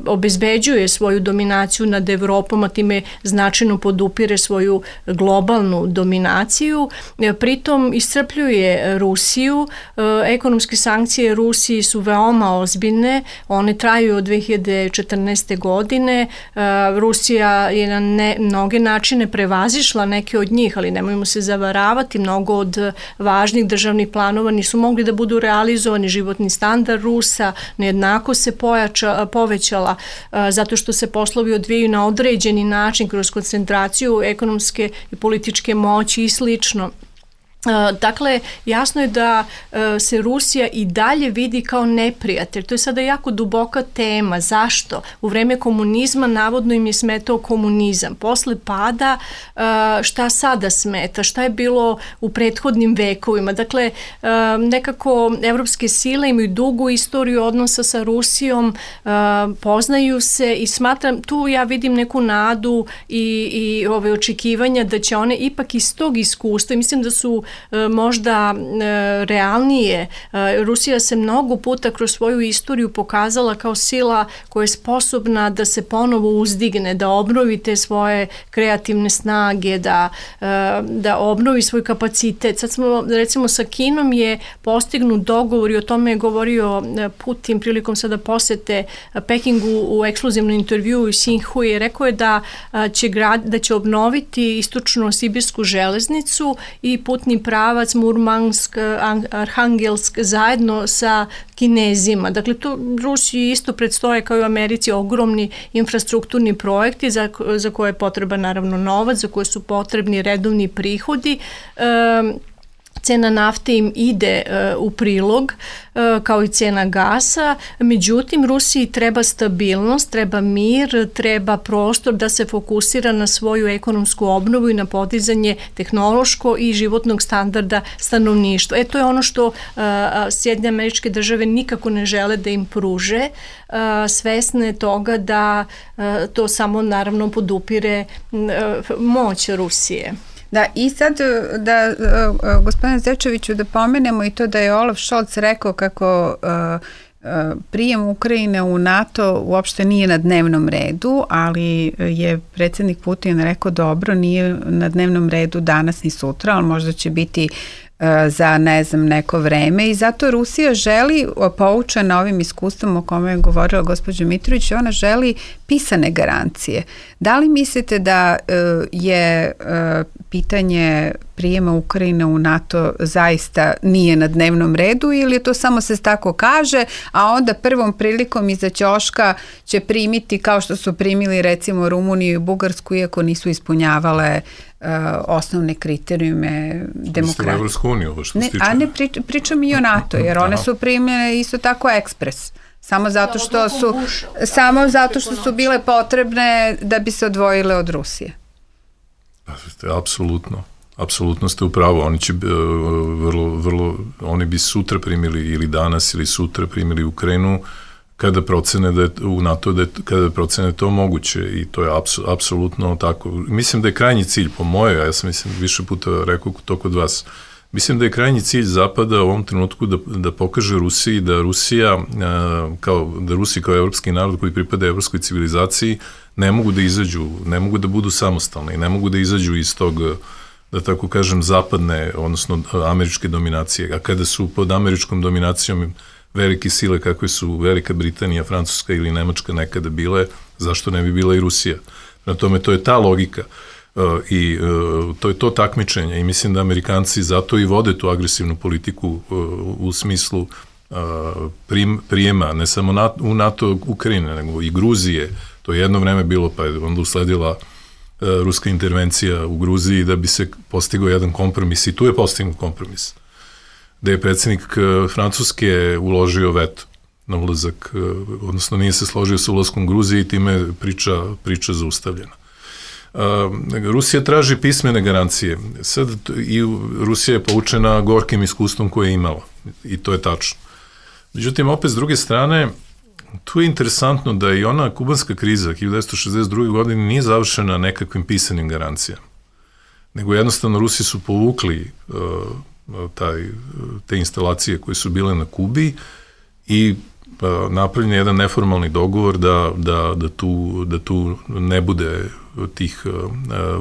obezbeđuje svoju dominaciju nad Evropom, a time značajno podupire svoju globalnu dominaciju. Pritom iscrpljuje Rusiju. Ekonomske sankcije Rusiji su veoma ozbiljne, one traju od dve hiljade četrnaeste. godine. Rusija je na ne, mnoge načine prevazišla neke od njih, ali nemojmo se zavaravati, mnogo od važnih državnih planova nisu mogli da budu realizovani. Životni standard Rusa, nejednako se pojača, povećala zato što se poslovi odvijaju na određeni način kroz koncentraciju ekonomske i političke moći i slično. Dakle, jasno je da se Rusija i dalje vidi kao neprijatelj. To je sada jako duboka tema. Zašto? U vreme komunizma navodno im je smetao komunizam. Posle pada šta sada smeta? Šta je bilo u prethodnim vekovima? Dakle, nekako evropske sile imaju dugu istoriju odnosa sa Rusijom, poznaju se i smatram, tu ja vidim neku nadu i, i ove očekivanja da će one ipak iz tog iskustva, mislim da su možda realnije. Rusija se mnogo puta kroz svoju istoriju pokazala kao sila koja je sposobna da se ponovo uzdigne, da obnovi te svoje kreativne snage, da, da obnovi svoj kapacitet. Sad smo, recimo, sa Kinom je postignut dogovor i o tome je govorio Putin prilikom sada posete Pekingu u ekskluzivnom intervjuu u Sinhu i rekao je da će, grad, da će obnoviti istočno-sibirsku železnicu i putni pravac Murmansk, Arhangelsk zajedno sa Kinezima. Dakle, to Rusiji isto predstoje kao i u Americi ogromni infrastrukturni projekti za, za koje je potreban naravno novac, za koje su potrebni redovni prihodi. E, Cena nafte im ide uh, u prilog, uh, kao i cena gasa, međutim Rusiji treba stabilnost, treba mir, treba prostor da se fokusira na svoju ekonomsku obnovu i na podizanje tehnološko i životnog standarda stanovništva. E, to je ono što uh, Sjedinjene Američke Države nikako ne žele da im pruže, uh, svesne toga da uh, to samo naravno podupire uh, moć Rusije. Da, i sad da uh, gospodine Zečeviću da pomenemo i to da je Olaf Scholz rekao kako uh, uh, prijem Ukrajine u NATO uopšte nije na dnevnom redu, ali je predsjednik Putin rekao dobro, nije na dnevnom redu danas ni sutra, ali možda će biti za ne znam neko vreme i zato Rusija želi, poučena ovim iskustvom o kome je govorila gospođa Mitrović, ona želi pisane garancije. Da li mislite da je pitanje prijema Ukrajine u NATO zaista nije na dnevnom redu ili je to samo se tako kaže, a onda prvom prilikom iza ćoška će primiti kao što su primili recimo Rumuniju i Bugarsku iako nisu ispunjavale Uh, osnovne kriterijume demokratije. Evropsku uniju, ovo što ne, stiče. A ne prič, pričam i o NATO, jer one su primljene isto tako ekspres. Samo zato što su samo zato što su bile potrebne da bi se odvojile od Rusije. Apsolutno. Apsolutno ste u pravu. Oni će vrlo, vrlo, oni bi sutra primili ili danas ili sutra primili Ukrajinu kada procene da je u NATO, da je, kada procene to moguće i to je apsu, apsolutno tako. Mislim da je krajnji cilj, po moje, ja sam mislim više puta rekao to kod vas, mislim da je krajnji cilj Zapada u ovom trenutku da, da pokaže Rusiji da Rusija, kao, da Rusija kao evropski narod koji pripada evropskoj civilizaciji ne mogu da izađu, ne mogu da budu samostalni, ne mogu da izađu iz tog, da tako kažem, zapadne, odnosno američke dominacije. A kada su pod američkom dominacijom velike sile kakve su Velika Britanija, Francuska ili Nemačka nekada bile, zašto ne bi bila i Rusija? Na tome to je ta logika uh, i uh, to je to takmičenje i mislim da Amerikanci zato i vode tu agresivnu politiku uh, u smislu uh, prim, prijema, ne samo NATO, u NATO Ukrajine, nego i Gruzije. To je jedno vreme bilo, pa je onda usledila ruska intervencija u Gruziji da bi se postigao jedan kompromis i tu je postignut kompromis. Da je predsjednik Francuske uložio veto na ulazak, odnosno nije se složio sa ulaskom Gruzije i time je priča, priča zaustavljena. Rusija traži pismene garancije. Sad i Rusija je poučena gorkim iskustvom koje je imala i to je tačno. Međutim, opet s druge strane, tu je interesantno da i ona kubanska kriza hiljadu devetsto šezdeset druge. godine nije završena nekakvim pisanim garancijama, nego jednostavno Rusi su povukli uh, taj, te instalacije koje su bile na Kubi i uh, napravljen je jedan neformalni dogovor da, da, da, tu, da tu ne bude tih uh,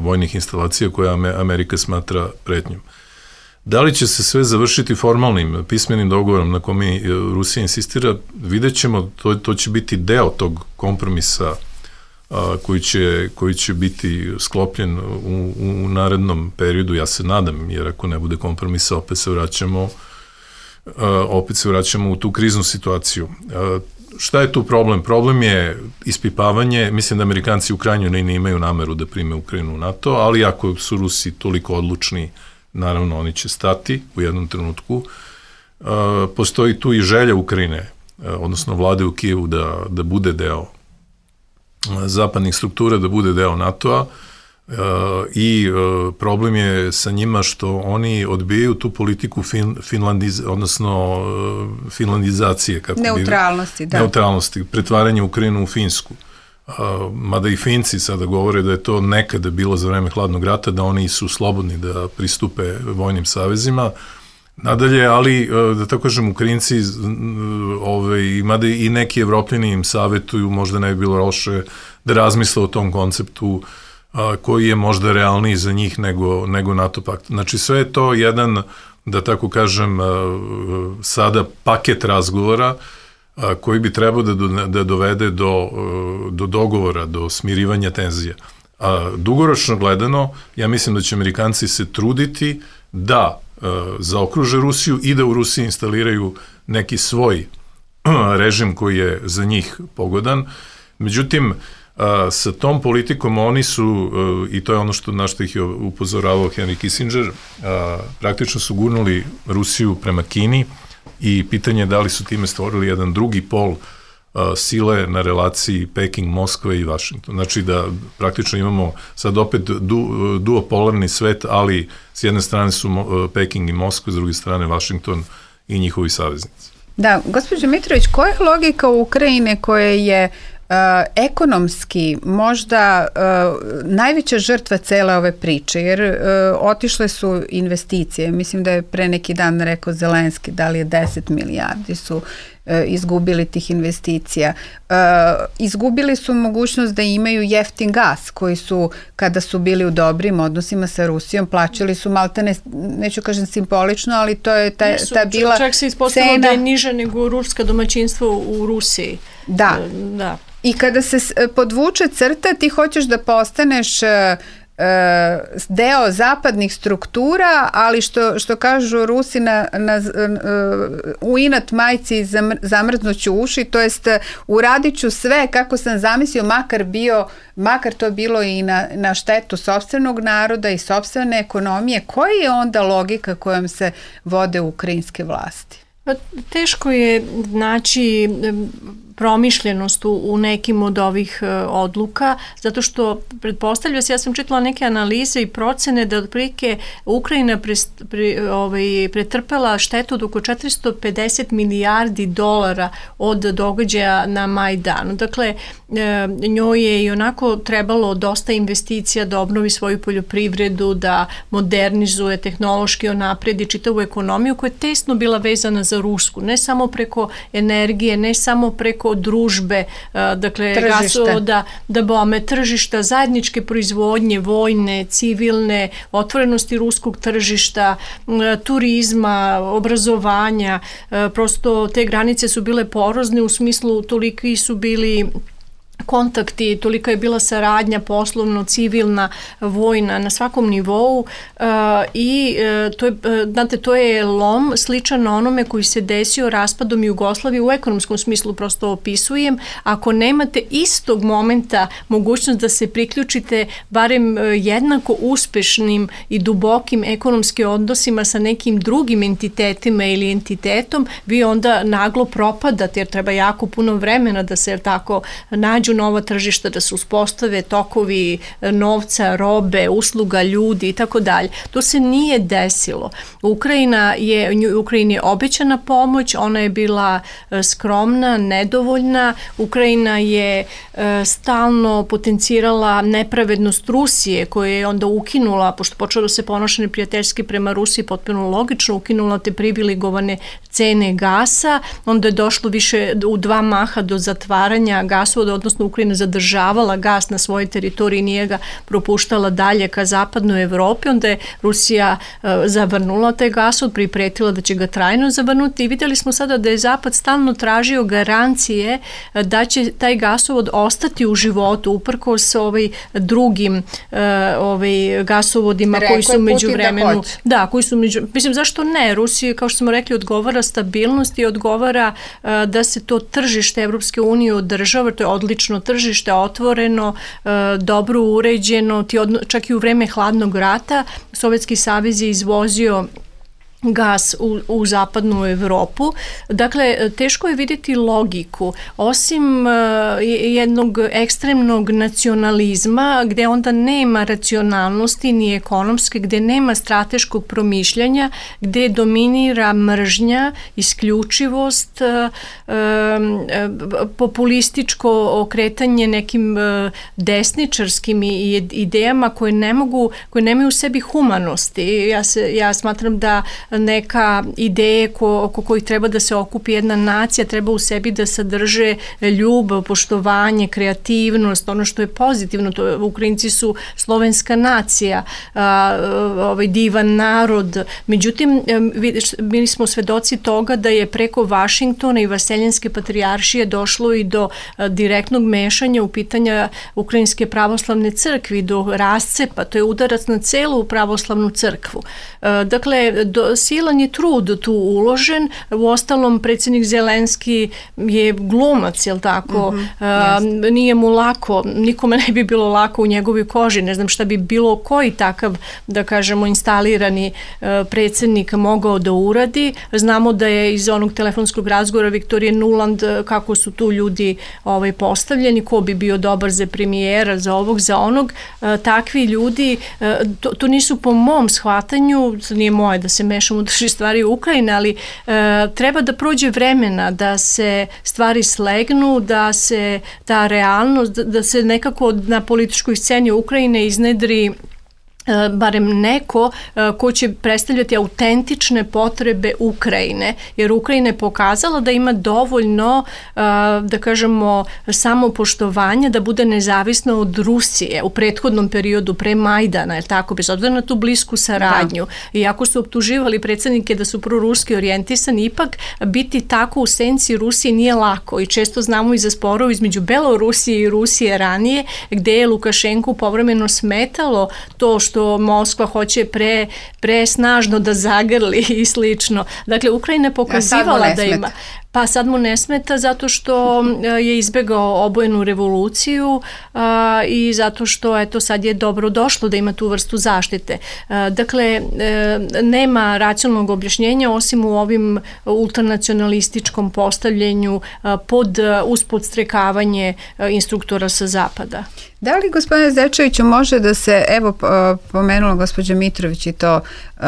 vojnih instalacija koje Amerika smatra pretnjom. Da li će se sve završiti formalnim, pismenim dogovorom na kome Rusija insistira, vidjet ćemo, to, to će biti deo tog kompromisa a, koji, će, koji će biti sklopljen u, u narednom periodu, ja se nadam, jer ako ne bude kompromisa, opet se vraćamo, a, opet se vraćamo u tu kriznu situaciju. A, šta je tu problem? Problem je ispipavanje, mislim da Amerikanci u krajnjoj liniji imaju nameru da prime Ukrajinu u NATO, ali ako su Rusi toliko odlučni, naravno, oni će stati u jednom trenutku. E, postoji tu i želja Ukrajine, e, odnosno vlade u Kijevu da, da bude deo e, zapadnih struktura, da bude deo NATO-a e, i e, problem je sa njima što oni odbijaju tu politiku fin, finlandiz, odnosno e, finlandizacije. Kako neutralnosti, bi, da. Neutralnosti, pretvaranje Ukrajinu u Finsku. Uh, mada i Finci sada govore da je to nekada bilo za vreme hladnog rata, da oni su slobodni da pristupe vojnim savezima. Nadalje, ali, uh, da tako kažem, Ukrajinci, uh, ovaj, mada i neki Evropljani im savjetuju, možda ne bi bilo loše da razmisle o tom konceptu uh, koji je možda realniji za njih nego, nego NATO pakt. Znači, sve je to jedan, da tako kažem, uh, sada paket razgovora koji bi trebao da, do, da dovede do, do dogovora, do smirivanja tenzija. A dugoročno gledano, ja mislim da će Amerikanci se truditi da a, zaokruže Rusiju i da u Rusiji instaliraju neki svoj režim koji je za njih pogodan. Međutim, a, sa tom politikom oni su, a, i to je ono što, na što ih je upozoravao Henry Kissinger, a, praktično su gurnuli Rusiju prema Kini, i pitanje je da li su time stvorili jedan drugi pol uh, sile na relaciji Peking, Moskve i Vašington. Znači da praktično imamo sad opet du, duopolarni svet, ali s jedne strane su uh, Peking i Moskva, s druge strane Vašington i njihovi saveznici. Da, gospođo Mitrović, koja je logika Ukrajine koja je Uh, ekonomski možda uh, najveća žrtva cele ove priče, jer uh, otišle su investicije, mislim da je pre neki dan rekao Zelenski, da li je deset milijardi su uh, izgubili tih investicija. Uh, izgubili su mogućnost da imaju jeftin gas, koji su, kada su bili u dobrim odnosima sa Rusijom, plaćali su maltene, neću kažem simbolično, ali to je ta, Nisu, ta bila čak se ispostavilo cena da je niže nego ruska domaćinstvo u Rusiji. Da, da. I kada se podvuče crta, ti hoćeš da postaneš uh, deo zapadnih struktura, ali što, što kažu Rusi na, na, uh, u inat majci zamr, zamrznuću uši, to jest uradit ću sve kako sam zamislio, makar bio, makar to bilo i na, na štetu sopstvenog naroda i sopstvene ekonomije. Koja je onda logika kojom se vode ukrajinske vlasti? Pa, teško je naći promišljenost u, u nekim od ovih uh, odluka, zato što pretpostavlja se, ja sam čitala neke analize i procene da otprilike Ukrajina pre, pre, ovaj, pretrpela štetu od oko četiristo pedeset milijardi dolara od događaja na Majdanu. Dakle, e, njoj je i onako trebalo dosta investicija da obnovi svoju poljoprivredu, da modernizuje, tehnološki onapredi čitavu ekonomiju koja je tesno bila vezana za rusku, ne samo preko energije, ne samo preko družbe, dakle gasovoda, da bome tržišta, zajedničke proizvodnje, vojne, civilne, otvorenosti ruskog tržišta, turizma, obrazovanja, prosto te granice su bile porozne u smislu toliki su bili kontakti, tolika je bila saradnja poslovno, civilna, vojna na svakom nivou uh, i uh, to je, uh, znate, to je lom sličan na onome koji se desio raspadom Jugoslavije u ekonomskom smislu, prosto opisujem. Ako nemate istog momenta mogućnost da se priključite barem uh, jednako uspešnim i dubokim ekonomskim odnosima sa nekim drugim entitetima ili entitetom, vi onda naglo propadate jer treba jako puno vremena da se tako nađu nova tržišta, da se uspostave tokovi novca, robe, usluga, ljudi i tako dalje. To se nije desilo. Ukrajina je, Ukrajini je obećana pomoć, ona je bila skromna, nedovoljna. Ukrajina je stalno potencirala nepravednost Rusije, koja je onda ukinula, pošto počeo da se ponaša neprijateljski prema Rusiji, potpuno logično, ukinula te privilegovane cene gasa, onda je došlo više u dva maha do zatvaranja gasovoda, odnosno Ukrajina zadržavala gas na svojoj teritoriji, nije ga propuštala dalje ka zapadnoj Evropi, onda je Rusija uh, zavrnula taj gasovod, pripretila da će ga trajno zavrnuti i vidjeli smo sada da je Zapad stalno tražio garancije uh, da će taj gasovod ostati u životu, uprkos ovaj drugim uh, ovaj gasovodima Rekao koji su među vremenu. Da, da, koji su među, mislim, zašto ne? Rusiji, kao što smo rekli, odgovara stabilnost i odgovara uh, da se to tržište Evropske unije održava, to je odlično tržište, otvoreno, uh, dobro uređeno, ti odno, čak i u vreme hladnog rata Sovjetski savez je izvozio gas u, u zapadnu Evropu. Dakle, teško je vidjeti logiku, osim uh, jednog ekstremnog nacionalizma, gde onda nema racionalnosti ni ekonomske, gde nema strateškog promišljanja, gde dominira mržnja, isključivost, uh, uh, populističko okretanje nekim uh, desničarskim idejama koje ne mogu, koje nemaju u sebi humanosti. Ja, se, ja smatram da neka ideje ko, oko kojih treba da se okupi jedna nacija, treba u sebi da sadrže ljubav, poštovanje, kreativnost, ono što je pozitivno. To, Ukrajinci su slovenska nacija, a, ovaj divan narod. Međutim, bili smo svedoci toga da je preko Vašingtona i Vaseljenske patrijaršije došlo i do a, direktnog mešanja u pitanja Ukrajinske pravoslavne crkve, do rascepa. To je udarac na celu pravoslavnu crkvu. A, dakle, do, silan je trud tu uložen, u ostalom predsjednik Zelenski je glumac, jel tako, mm-hmm, a, nije mu lako, nikome ne bi bilo lako u njegovoj koži, ne znam šta bi bilo koji takav, da kažemo, instalirani a, predsjednik mogao da uradi. Znamo da je iz onog telefonskog razgovora Viktorije Nuland kako su tu ljudi ovaj, postavljeni, ko bi bio dobar za premijera, za ovog, za onog, a, takvi ljudi, a, to, to nisu po mom shvatanju, nije moje da se mešam u drži stvari u Ukrajini, ali e, treba da prođe vremena da se stvari slegnu, da se ta realnost, da, da se nekako na političkoj sceni Ukrajine iznedri barem neko ko će predstavljati autentične potrebe Ukrajine, jer Ukrajina je pokazala da ima dovoljno, da kažemo, samopoštovanja da bude nezavisna od Rusije u prethodnom periodu pre Majdana, je tako, bez obzira na tu blisku saradnju. Da. Iako su optuživali predsjednike da su proruski orijentisani, ipak biti tako u senci Rusije nije lako i često znamo i za sporov između Belorusije i Rusije ranije, gde je Lukašenku povremeno smetalo to što Moskva hoće pre, pre snažno da zagrli i slično. Dakle, Ukrajina je pokazivala da ima... Pa sad mu ne smeta zato što je izbegao obojenu revoluciju a, i zato što eto sad je dobro došlo da ima tu vrstu zaštite. A, dakle, e, nema racionalnog objašnjenja osim u ovim ultranacionalističkom postavljenju a, pod uspodstrekavanje a, instruktora sa zapada. Da li, gospodine Zečeviću, može da se, evo pomenula gospođa Mitrović i to uh,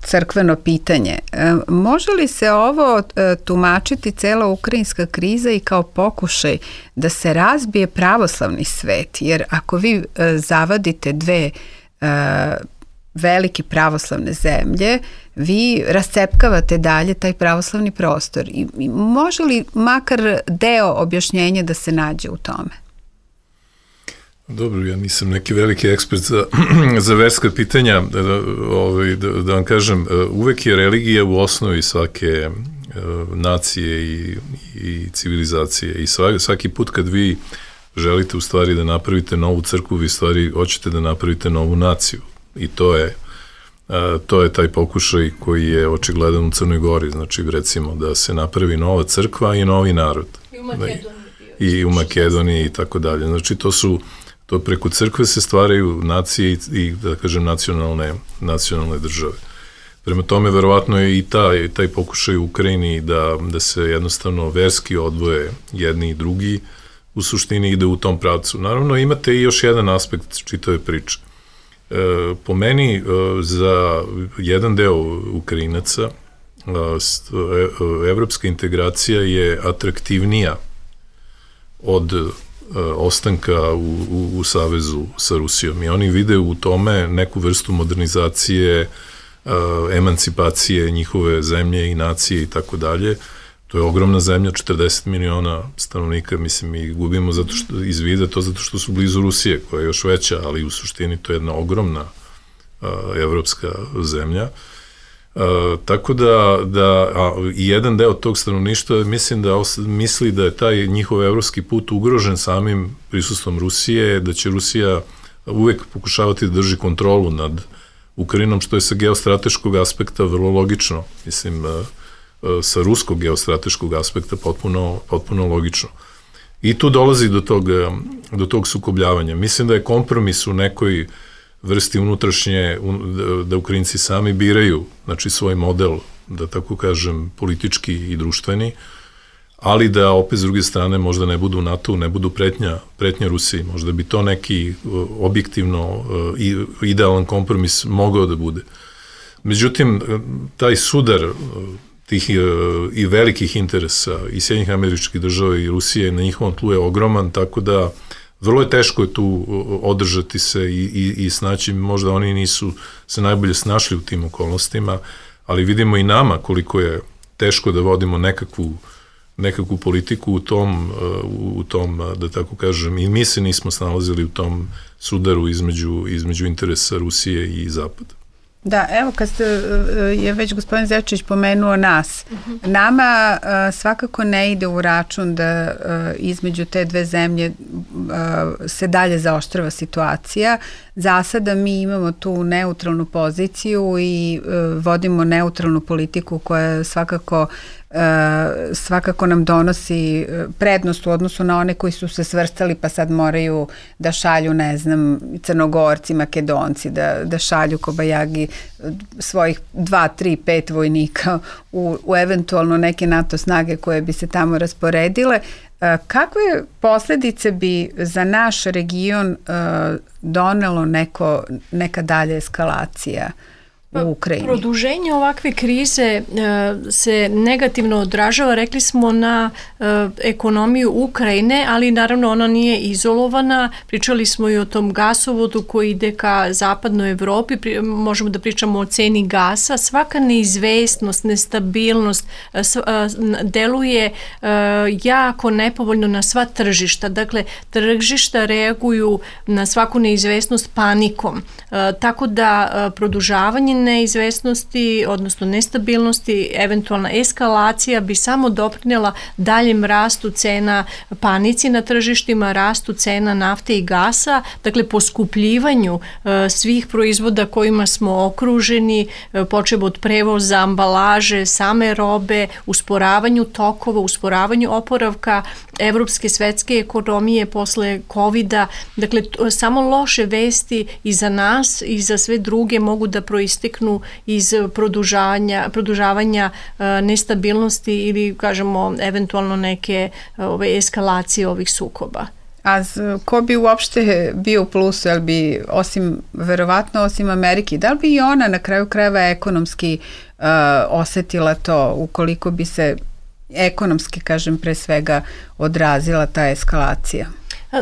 crkveno pitanje, uh, može li se ovo uh, tumačiti cela ukrajinska kriza i kao pokušaj da se razbije pravoslavni svet? Jer ako vi uh, zavadite dve uh, velike pravoslavne zemlje, vi rascepkavate dalje taj pravoslavni prostor. I, i može li makar deo objašnjenja da se nađe u tome? Dobro, ja nisam neki veliki ekspert za, za verska pitanja, da, ovaj, da, da vam kažem, uvek je religija u osnovi svake uh, nacije i, i civilizacije i svaki, svaki put kad vi želite u stvari da napravite novu crkvu, vi u stvari hoćete da napravite novu naciju. I to je, to je taj pokušaj koji je očigledan u Crnoj Gori, znači recimo da se napravi nova crkva i novi narod. I u Makedoniji. I u Makedoniji i tako dalje. Znači to su, to preko crkve se stvaraju nacije i, i da kažem, nacionalne, nacionalne države. Prema tome, verovatno je i taj, taj pokušaj u Ukrajini da, da se jednostavno verski odvoje jedni i drugi, u suštini ide u tom pravcu. Naravno, imate i još jedan aspekt čitave priče. E, po meni, e, za jedan deo Ukrajinaca, e, evropska integracija je atraktivnija od e, ostanka u, u, u savezu sa Rusijom. I oni vide u tome neku vrstu modernizacije, emancipacije njihove zemlje i nacije i tako dalje. To je ogromna zemlja, četrdeset miliona stanovnika, mislim, i gubimo zato što, iz vida to zato što su blizu Rusije, koja je još veća, ali u suštini to je jedna ogromna uh, evropska zemlja. Uh, tako da, da a, i jedan deo tog stanovništva mislim da os, misli da je taj njihov evropski put ugrožen samim prisustvom Rusije, da će Rusija uvek pokušavati da drži kontrolu nad Ukrajinom, što je sa geostrateškog aspekta vrlo logično, mislim, sa ruskog geostrateškog aspekta potpuno, potpuno logično. I tu dolazi do tog, do tog sukobljavanja. Mislim da je kompromis u nekoj vrsti unutrašnje, da Ukrajinci sami biraju, znači, svoj model, da tako kažem, politički i društveni, ali da opet s druge strane možda ne budu NATO, ne budu pretnja, pretnja Rusiji. Možda bi to neki objektivno i idealan kompromis mogao da bude. Međutim, taj sudar tih i velikih interesa i Sjedinjenih Američkih Država i Rusije na njihovom tlu je ogroman, tako da vrlo je teško je tu održati se i, i, i snaći, možda oni nisu se najbolje snašli u tim okolnostima, ali vidimo i nama koliko je teško da vodimo nekakvu nekakvu politiku u tom, u tom, da tako kažem, i mi se nismo snalazili u tom sudaru između, između interesa Rusije i Zapada. Da, evo kad ste, je već gospodin Zečević pomenuo nas, uh-huh. nama uh, svakako ne ide u račun da uh, između te dve zemlje uh, se dalje zaoštrava situacija. Za sada mi imamo tu neutralnu poziciju i uh, vodimo neutralnu politiku koja svakako Uh, svakako nam donosi prednost u odnosu na one koji su se svrstali pa sad moraju da šalju, ne znam, Crnogorci, Makedonci, da, da šalju kobajagi svojih dva, tri, pet vojnika u, u eventualno neke NATO snage koje bi se tamo rasporedile. Uh, kakve posledice bi za naš region uh, donelo neko, neka dalja eskalacija u Ukrajini? Produženje ovakve krize e, se negativno odražava, rekli smo, na e, ekonomiju Ukrajine, ali naravno ona nije izolovana. Pričali smo i o tom gasovodu koji ide ka zapadnoj Evropi, Pri, možemo da pričamo o ceni gasa. Svaka neizvestnost, nestabilnost e, s, e, deluje e, jako nepovoljno na sva tržišta. Dakle, tržišta reaguju na svaku neizvestnost panikom. E, tako da e, produžavanje neizvesnosti, odnosno nestabilnosti, eventualna eskalacija bi samo doprinela daljem rastu cena, panici na tržištima, rastu cena nafte i gasa, dakle poskupljivanju e, svih proizvoda kojima smo okruženi, e, počev od prevoza, ambalaže, same robe, usporavanju tokova, usporavanju oporavka evropske svetske ekonomije posle kovida. Dakle, t- samo loše vesti i za nas i za sve druge mogu da proisteknu iz produžavanja, produžavanja e, nestabilnosti ili, kažemo, eventualno neke ove, eskalacije ovih sukoba. A z, ko bi uopšte bio u plusu, jel bi, osim, verovatno osim Amerike, da li bi i ona na kraju krajeva ekonomski uh, osetila to, ukoliko bi se ekonomski, kažem, pre svega odrazila ta eskalacija?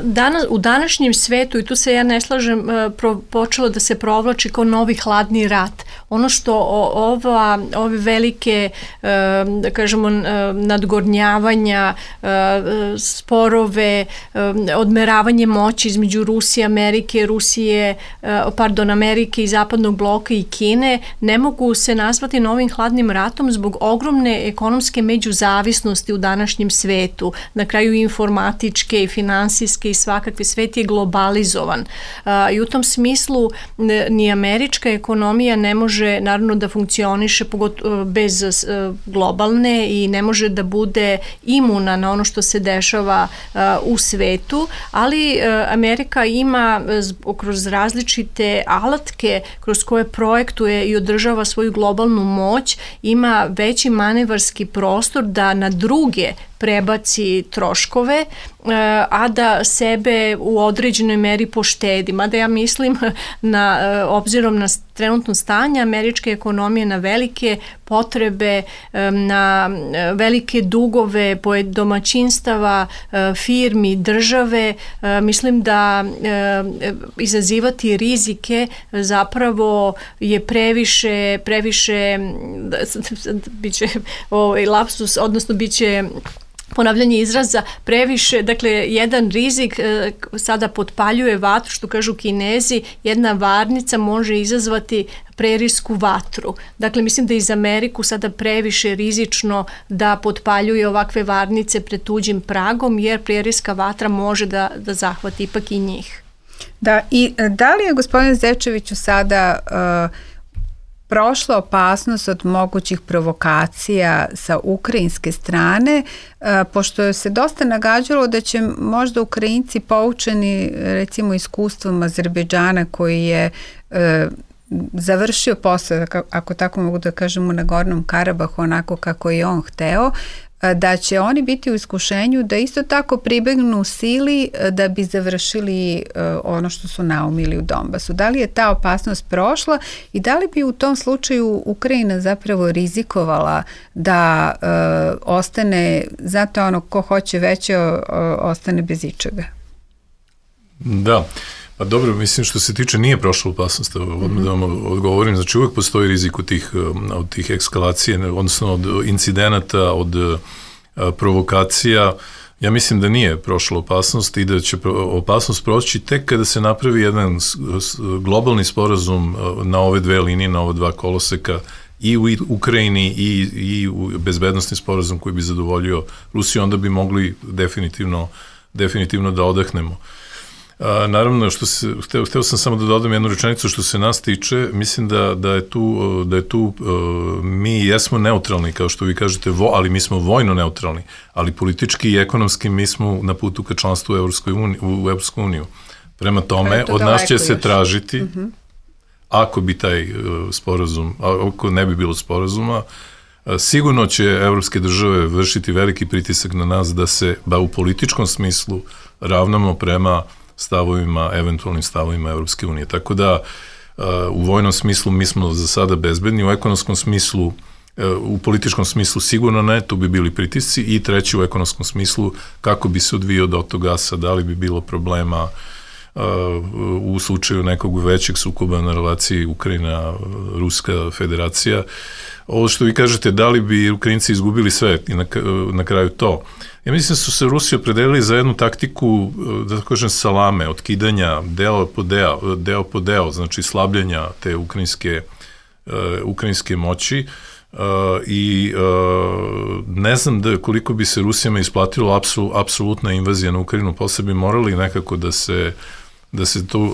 Danas, u današnjem svetu, i tu se ja ne slažem, pro, počelo da se provlači kao novi hladni rat. Ono što ova, ove velike, da kažemo, nadgornjavanja, sporove, odmeravanje moći između Rusije, Amerike, Rusije, pardon, Amerike i Zapadnog bloka i Kine, ne mogu se nazvati novim hladnim ratom zbog ogromne ekonomske međuzavisnosti u današnjem svetu, na kraju informatičke i finansijske energetske i svakakve, svet je globalizovan. I u tom smislu ni američka ekonomija ne može naravno da funkcioniše pogotovo bez globalne i ne može da bude imuna na ono što se dešava u svetu, ali Amerika ima kroz različite alatke kroz koje projektuje i održava svoju globalnu moć, ima veći manevarski prostor da na druge prebaci troškove, a da sebe u određenoj meri poštedi. Mada ja mislim, na, obzirom na trenutno stanje američke ekonomije, na velike potrebe, na velike dugove domaćinstava, firmi, države, mislim da izazivati rizike zapravo je previše, previše biće ovaj lapsus, odnosno biće ponavljanje izraza previše, dakle jedan rizik e, sada potpaljuje vatru, što kažu Kinezi, jedna varnica može izazvati prerijsku vatru. Dakle, mislim da je iz Ameriku sada previše rizično da potpaljuje ovakve varnice pred tuđim pragom, jer prerijska vatra može da, da zahvati ipak i njih. Da, i da li je gospodine Zečeviću sada uh, prošla opasnost od mogućih provokacija sa ukrajinske strane, pošto se dosta nagađalo da će možda Ukrajinci poučeni recimo iskustvom Azerbejdžana koji je završio posao, ako tako mogu da kažem, u Nagornom Karabahu onako kako je on hteo, da će oni biti u iskušenju da isto tako pribegnu sili da bi završili ono što su naumili u Donbasu. Da li je ta opasnost prošla i da li bi u tom slučaju Ukrajina zapravo rizikovala da uh, ostane, zato ono ko hoće veće uh, ostane bez ičega? Da. Pa dobro, mislim što se tiče nije prošla opasnost, odmah da vam odgovorim, znači uvek postoji rizik od tih, od tih ekskalacije, odnosno od incidenata, od provokacija. Ja mislim da nije prošla opasnost i da će opasnost proći tek kada se napravi jedan globalni sporazum na ove dve linije, na ova dva koloseka, i u Ukrajini i, i u bezbednostni sporazum koji bi zadovoljio Rusiju, onda bi mogli definitivno, definitivno da odahnemo. A, naravno, što se, hteo, hteo sam samo da dodam jednu rečenicu što se nas tiče, mislim da, da je tu, da je tu uh, mi jesmo neutralni, kao što vi kažete, vo, ali mi smo vojno neutralni, ali politički i ekonomski mi smo na putu ka članstvu u Evropskoj uniji, u Evropsku uniju. Prema tome, od nas će se tražiti, uh-huh. ako bi taj uh, sporazum, ako ne bi bilo sporazuma, uh, sigurno će evropske države vršiti veliki pritisak na nas da se, ba u političkom smislu, ravnamo prema stavovima, eventualnim stavovima Evropske unije. Tako da u vojnom smislu mi smo za sada bezbedni, u ekonomskom smislu, u političkom smislu sigurno ne, tu bi bili pritisci, i treći u ekonomskom smislu kako bi se odvijao dotok gasa, da li bi bilo problema u slučaju nekog većeg sukoba na relaciji Ukrajina-Ruska federacija. Ovo što vi kažete, da li bi Ukrajinci izgubili sve i na, na kraju to? Ja mislim da su se Rusi opredelili za jednu taktiku, da tako kažem, salame, otkidanja deo po deo, deo po deo, znači slabljenja te ukrajinske, uh, ukrajinske moći, uh, i uh, ne znam da koliko bi se Rusijama isplatilo apsul, apsolutna invazija na Ukrajinu, posle bi morali nekako da se da se to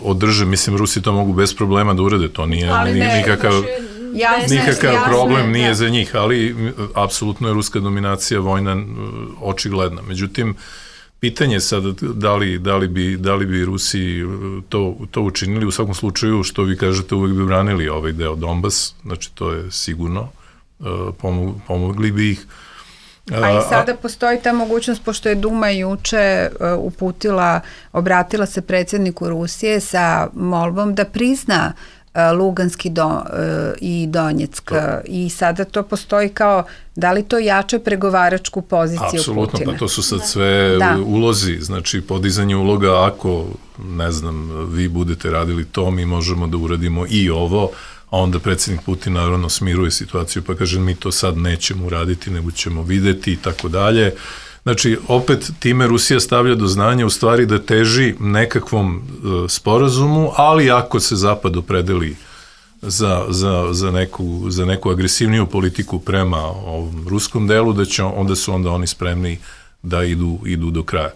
održe. Mislim, Rusi to mogu bez problema da urade, to nije, nije nikakav... Jasne, nikakav jasne, problem nije da. za njih, ali apsolutno je ruska dominacija vojna očigledna. Međutim, pitanje je sad da li, da li, bi, da li bi Rusi to, to učinili. U svakom slučaju, što vi kažete, uvek bi branili ovaj deo Donbas, znači to je sigurno, pomogli bi ih. A i sada postoji ta mogućnost, pošto je Duma juče uputila, obratila se predsjedniku Rusije sa molbom da prizna Luganski do, i Donjeck, i sada to postoji kao, da li to jača pregovaračku poziciju Putina? Apsolutno, pa to su sad sve da. ulozi, znači podizanje uloga, ako, ne znam, vi budete radili to, mi možemo da uradimo i ovo, a onda predsjednik Putin naravno smiruje situaciju, pa kaže mi to sad nećemo uraditi, nego ćemo videti i tako dalje. Znači, opet time Rusija stavlja do znanja u stvari da teži nekakvom uh, sporazumu, ali ako se Zapad opredeli za, za, za, neku, za neku agresivniju politiku prema ovom ruskom delu, da će, onda su onda oni spremni da idu, idu do kraja.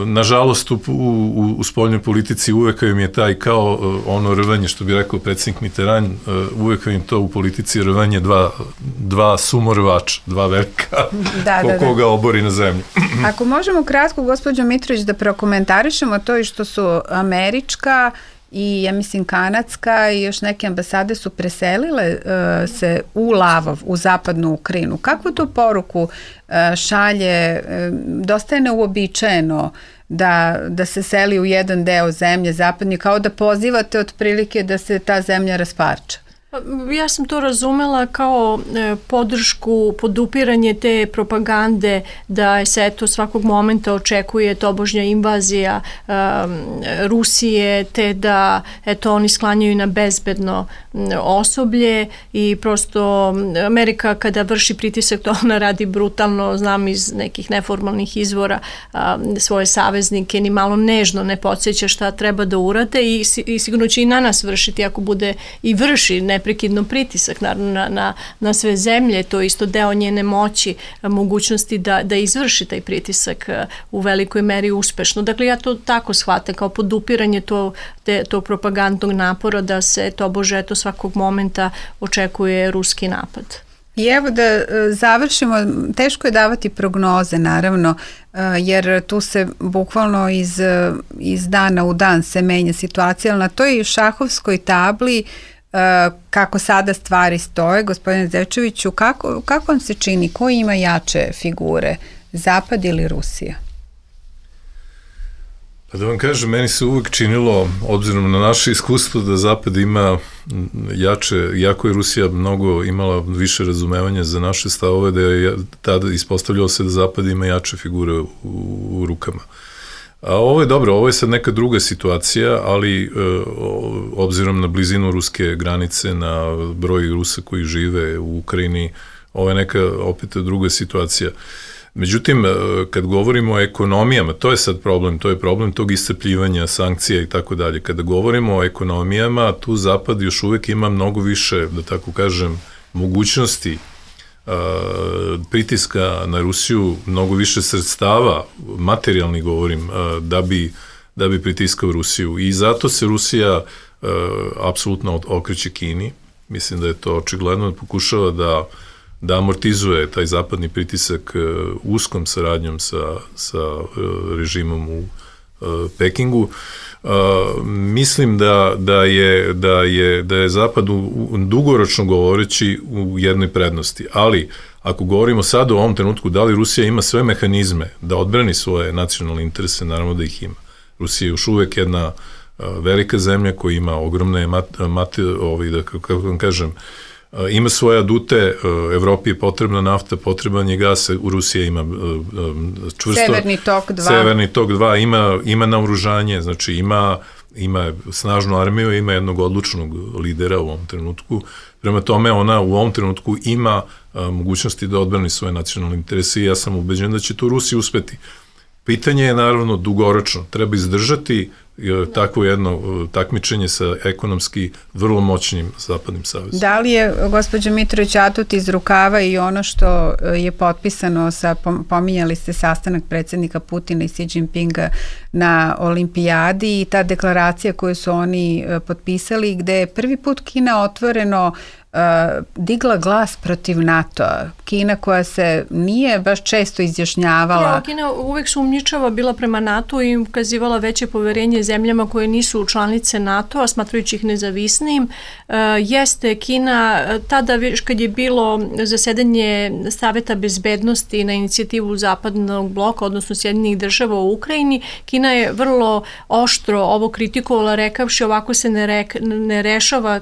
nažalost u, u, u spoljnoj politici uvek im je taj kao ono rvanje, što bi rekao predsjednik Mitterrand, uvek im to u politici rvanje dva, dva sumorvača, dva velika da, ko, da, da. koga obori na zemlju. Ako možemo kratko, gospođo Mitrović, da prokomentarišemo to i što su američka i ja mislim kanadska i još neke ambasade su preselile uh, se u Lavov, u zapadnu Ukrajinu. Kakvu tu poruku uh, šalje? Uh, dosta je neuobičajeno da, da se seli u jedan deo zemlje zapadnje, kao da pozivate otprilike da se ta zemlja rasparča. Ja sam to razumela kao e, podršku, podupiranje te propagande da se eto svakog momenta očekuje tobožnja invazija e, Rusije, te da eto oni sklanjaju na bezbedno osoblje i prosto Amerika kada vrši pritisak to ona radi brutalno, znam iz nekih neformalnih izvora a, svoje saveznike, ni malo nežno ne podsjeća šta treba da urade i, i sigurno će i na nas vršiti ako bude i vrši ne neprekidno pritisak naravno na, na, na sve zemlje, to je isto deo njene moći, mogućnosti da, da izvrši taj pritisak u velikoj meri uspešno. Dakle, ja to tako shvatam kao podupiranje to, te, tog propagandnog napora da se tobože eto svakog momenta očekuje ruski napad. I evo da završimo, teško je davati prognoze naravno, jer tu se bukvalno iz, iz dana u dan se menja situacija, ali na toj šahovskoj tabli kako sada stvari stoje, gospodine Zečeviću, kako, kako vam se čini, ko ima jače figure, Zapad ili Rusija? Pa da vam kažem, meni se uvek činilo, obzirom na naše iskustvo, da Zapad ima jače, jako je Rusija mnogo imala više razumevanja za naše stavove, da je tada ispostavljalo se da Zapad ima jače figure u, u rukama. A ovo je dobro, ovo je sad neka druga situacija, ali e, obzirom na blizinu ruske granice, na broj Rusa koji žive u Ukrajini, ovo je neka opet druga situacija. Međutim, kad govorimo o ekonomijama, to je sad problem, to je problem tog iscrpljivanja, sankcija i tako dalje. Kada govorimo o ekonomijama, tu Zapad još uvek ima mnogo više, da tako kažem, mogućnosti pritiska na Rusiju, mnogo više sredstava, materijalni govorim, da bi, da bi pritiskao Rusiju. I zato se Rusija apsolutno okreće Kini. Mislim da je to očigledno, da pokušava da da amortizuje taj zapadni pritisak uskom saradnjom sa, sa režimom u Pekingu. Mislim da, da, je, da, je, da je Zapad u, u, dugoročno govoreći u jednoj prednosti, ali ako govorimo sad u ovom trenutku da li Rusija ima sve mehanizme da odbrani svoje nacionalne interese, naravno da ih ima. Rusija je još uvek jedna velika zemlja koja ima ogromne mate, mate, ovaj, da, kako vam kažem, ima svoje adute, Evropi je potrebna nafta, potreban je gas, u Rusiji ima čvrsto... Severni tok dva. Severni tok dva, ima, ima naoružanje, znači ima, ima snažnu armiju, ima jednog odlučnog lidera u ovom trenutku. Prema tome ona u ovom trenutku ima a, mogućnosti da odbrani svoje nacionalne interese i ja sam ubeđen da će to Rusiji uspeti. Pitanje je naravno dugoročno, treba izdržati takvo jedno takmičenje sa ekonomski vrlo moćnim zapadnim savezom. Da li je, gospođo Mitrović, atut iz rukava i ono što je potpisano sa, pominjali ste sastanak predsjednika Putina i Xi Jinpinga na olimpijadi i ta deklaracija koju su oni potpisali, gde je prvi put Kina otvoreno Uh, digla glas protiv NATO-a. Kina koja se nije baš često izjašnjavala. Ja, Kina uvek sumnjičava bila prema NATO i ukazivala veće poverenje zemljama koje nisu članice NATO-a, smatrajući ih nezavisnim. Uh, jeste Kina, tada kad je bilo zasedanje Saveta bezbednosti na inicijativu Zapadnog bloka, odnosno Sjedinjenih država u Ukrajini, Kina je vrlo oštro ovo kritikovala, rekavši ovako se ne, re, ne rešava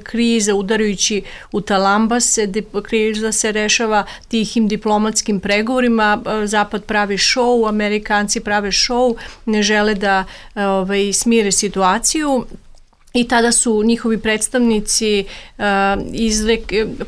kriza udarajući u talambase, kriza se rešava tihim diplomatskim pregovorima, Zapad pravi šou, Amerikanci prave šou, ne žele da ovaj, smire situaciju. I tada su njihovi predstavnici uh, izrek,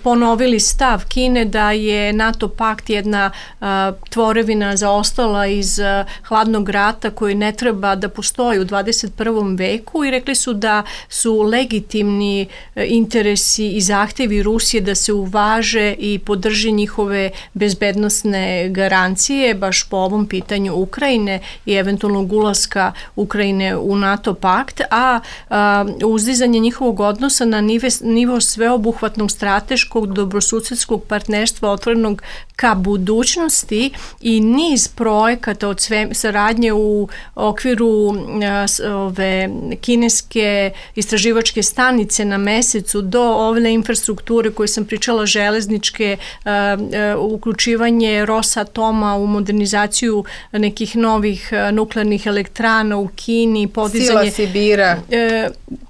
ponovili stav Kine da je NATO pakt jedna uh, tvorevina zaostala iz uh, hladnog rata koji ne treba da postoji u dvadeset prvom veku i rekli su da su legitimni uh, interesi i zahtevi Rusije da se uvaže i podrži njihove bezbednosne garancije baš po ovom pitanju Ukrajine i eventualnog ulaska Ukrajine u NATO pakt, a uh, uzdizanje njihovog odnosa na nive, nivo sveobuhvatnog strateškog dobrosusedskog partnerstva otvorenog ka budućnosti i niz projekata od sve, saradnje u okviru a, ove kineske istraživačke stanice na mesecu do ove infrastrukture koje sam pričala, železničke, a, a, uključivanje Rosatoma u modernizaciju nekih novih a, nuklearnih elektrana u Kini, podizanje... Sila Sibira. E,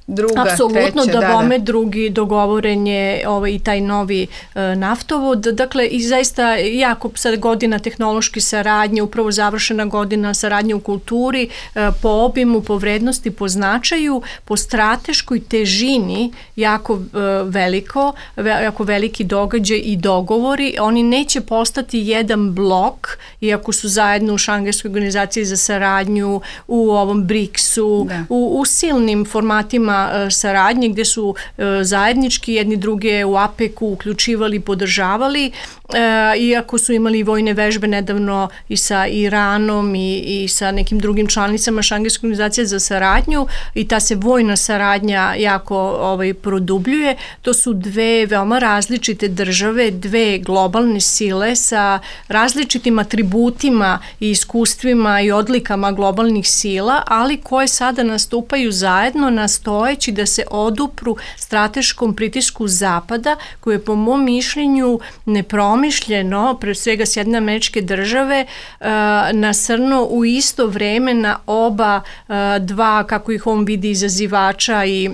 Druga, apsolutno, treća, da da, bome da. drugi dogovoren je ovaj, i taj novi e, naftovod. Dakle, i zaista jako sad godina tehnološke saradnje, upravo završena godina saradnje u kulturi, e, po obimu, po vrednosti, po značaju, po strateškoj težini jako e, veliko, ve, jako veliki događaj i dogovori. Oni neće postati jedan blok, iako su zajedno u Šangajskoj organizaciji za saradnju, u ovom briksu, da. u, u silnim formatima saradnje gde su zajednički jedni druge u APEC-u uključivali, podržavali, iako su imali vojne vežbe nedavno i sa Iranom i, i sa nekim drugim članicama Šangajske organizacije za saradnju i ta se vojna saradnja jako ovaj, produbljuje. To su dve veoma različite države, dve globalne sile sa različitim atributima i iskustvima i odlikama globalnih sila, ali koje sada nastupaju zajedno na stojeći da se odupru strateškom pritisku Zapada, koje je po mom mišljenju nepromišljeno, pre svega Sjedinjene Američke Države, nasrno u isto vreme na oba dva, kako ih on vidi, izazivača i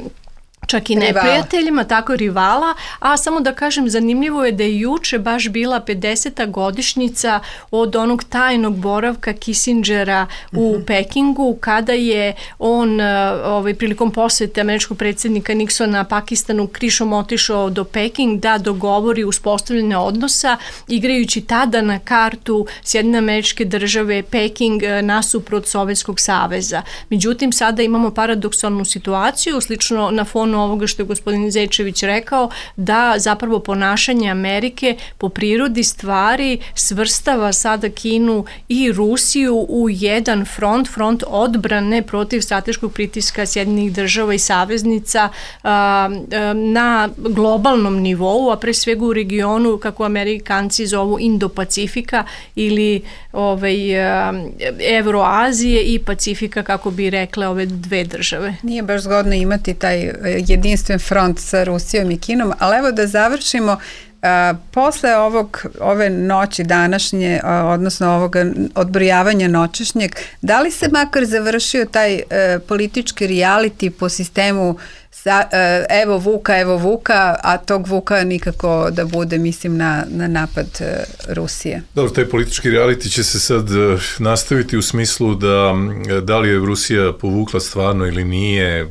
čak i neprijateljima, tako rivala, a samo da kažem, zanimljivo je da je juče baš bila pedeseta godišnjica od onog tajnog boravka Kissingera u uh-huh. Pekingu, kada je on ovaj, prilikom posete američkog predsjednika Nixona Pakistanu krišom otišao do Peking da dogovori uspostavljanje odnosa, igrajući tada na kartu Sjedinjene Američke Države Peking nasuprot Sovjetskog saveza. Međutim, sada imamo paradoksalnu situaciju, slično na fonu ovoga što je gospodin Zečević rekao, da zapravo ponašanje Amerike po prirodi stvari svrstava sada Kinu i Rusiju u jedan front, front odbrane protiv strateškog pritiska Sjedinjenih država i saveznica a, a, na globalnom nivou, a pre svega u regionu, kako Amerikanci zovu, Indo-Pacifika ili ovaj, a, Evroazije i Pacifika, kako bi rekle ove dve države. Nije baš zgodno imati taj jedinstven front sa Rusijom i Kinom, ali evo da završimo. A, posle ovog, ove noći današnje, a, odnosno ovog odbrojavanja noćešnjeg, da li se makar završio taj a, politički reality po sistemu sa, a, evo Vuka, evo Vuka, a tog Vuka nikako da bude, mislim, na, na napad a, Rusije? Dobro, taj politički reality će se sad a, nastaviti u smislu da da li je Rusija povukla stvarno ili nije a,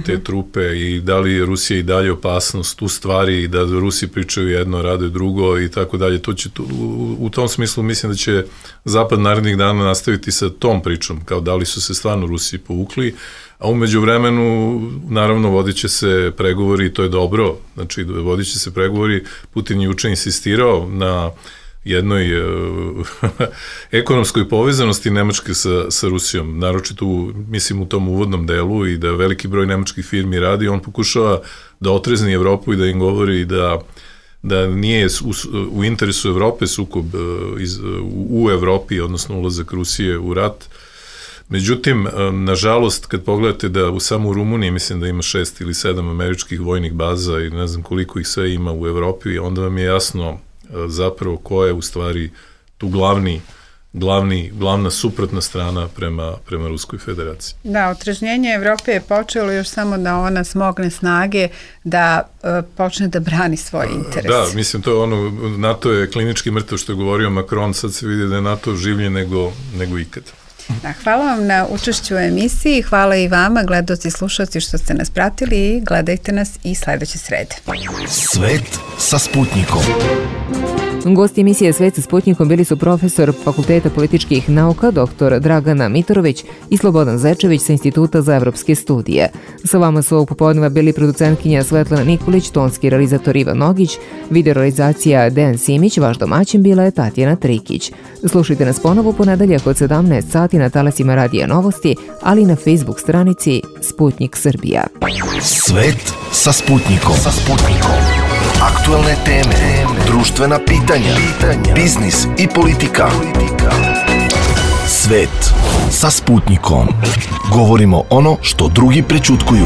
te uh-huh. trupe i da li je Rusija i dalje opasnost u stvari i da Rusi pričaju jedno, rade drugo i tako dalje. To će, u, u tom smislu mislim da će Zapad narednih dana nastaviti sa tom pričom, kao da li su se stvarno Rusi povukli, a umeđu vremenu naravno vodit će se pregovori i to je dobro, znači vodit će se pregovori. Putin je juče insistirao na jednoj uh, ekonomskoj povezanosti Nemačke sa, sa Rusijom, naročito u, mislim u tom uvodnom delu, i da veliki broj nemačkih firmi radi, on pokušava da otrezni Evropu i da im govori da da nije u, u interesu Evrope sukob iz, u, u Evropi, odnosno ulazak Rusije u rat. Međutim, nažalost, kad pogledate da u samo u Rumuniji mislim da ima šest ili sedam američkih vojnih baza i ne znam koliko ih sve ima u Evropi, onda vam je jasno zapravo ko je u stvari tu glavni Glavni, glavna suprotna strana prema, prema Ruskoj federaciji. Da, otrežnjenje Evrope je počelo još samo da ona smogne snage da uh, počne da brani svoje interese. Da, mislim, to je ono, NATO je klinički mrtav, što je govorio Macron, sad se vidi da je NATO življe nego, nego ikad. Da, hvala vam na učešću u emisiji, hvala i vama, gledaoci i slušalci što ste nas pratili i gledajte nas i sledeće srede. Svet sa Sputnikom. Gosti emisije Svet sa Sputnikom bili su profesor Fakulteta političkih nauka dr Dragana Mitorović i Slobodan Zečević sa Instituta za evropske studije. Sa vama su ovog popodneva bili producentkinja Svetlana Nikolić, tonski realizator Ivan Nogić, videorealizacija Dejan Simić, vaš domaćin bila je Tatjana Trikić. Slušajte nas ponovo u ponedeljak od sedamnaest sati na talasima Radija Novosti, ali i na Facebook stranici Sputnik Srbija. Svet sa Sputnikom. Sa Sputnikom. Aktuelne teme, društvena pitanja, biznis i politika. Svet sa Sputnikom. Govorimo ono što drugi prećutkuju.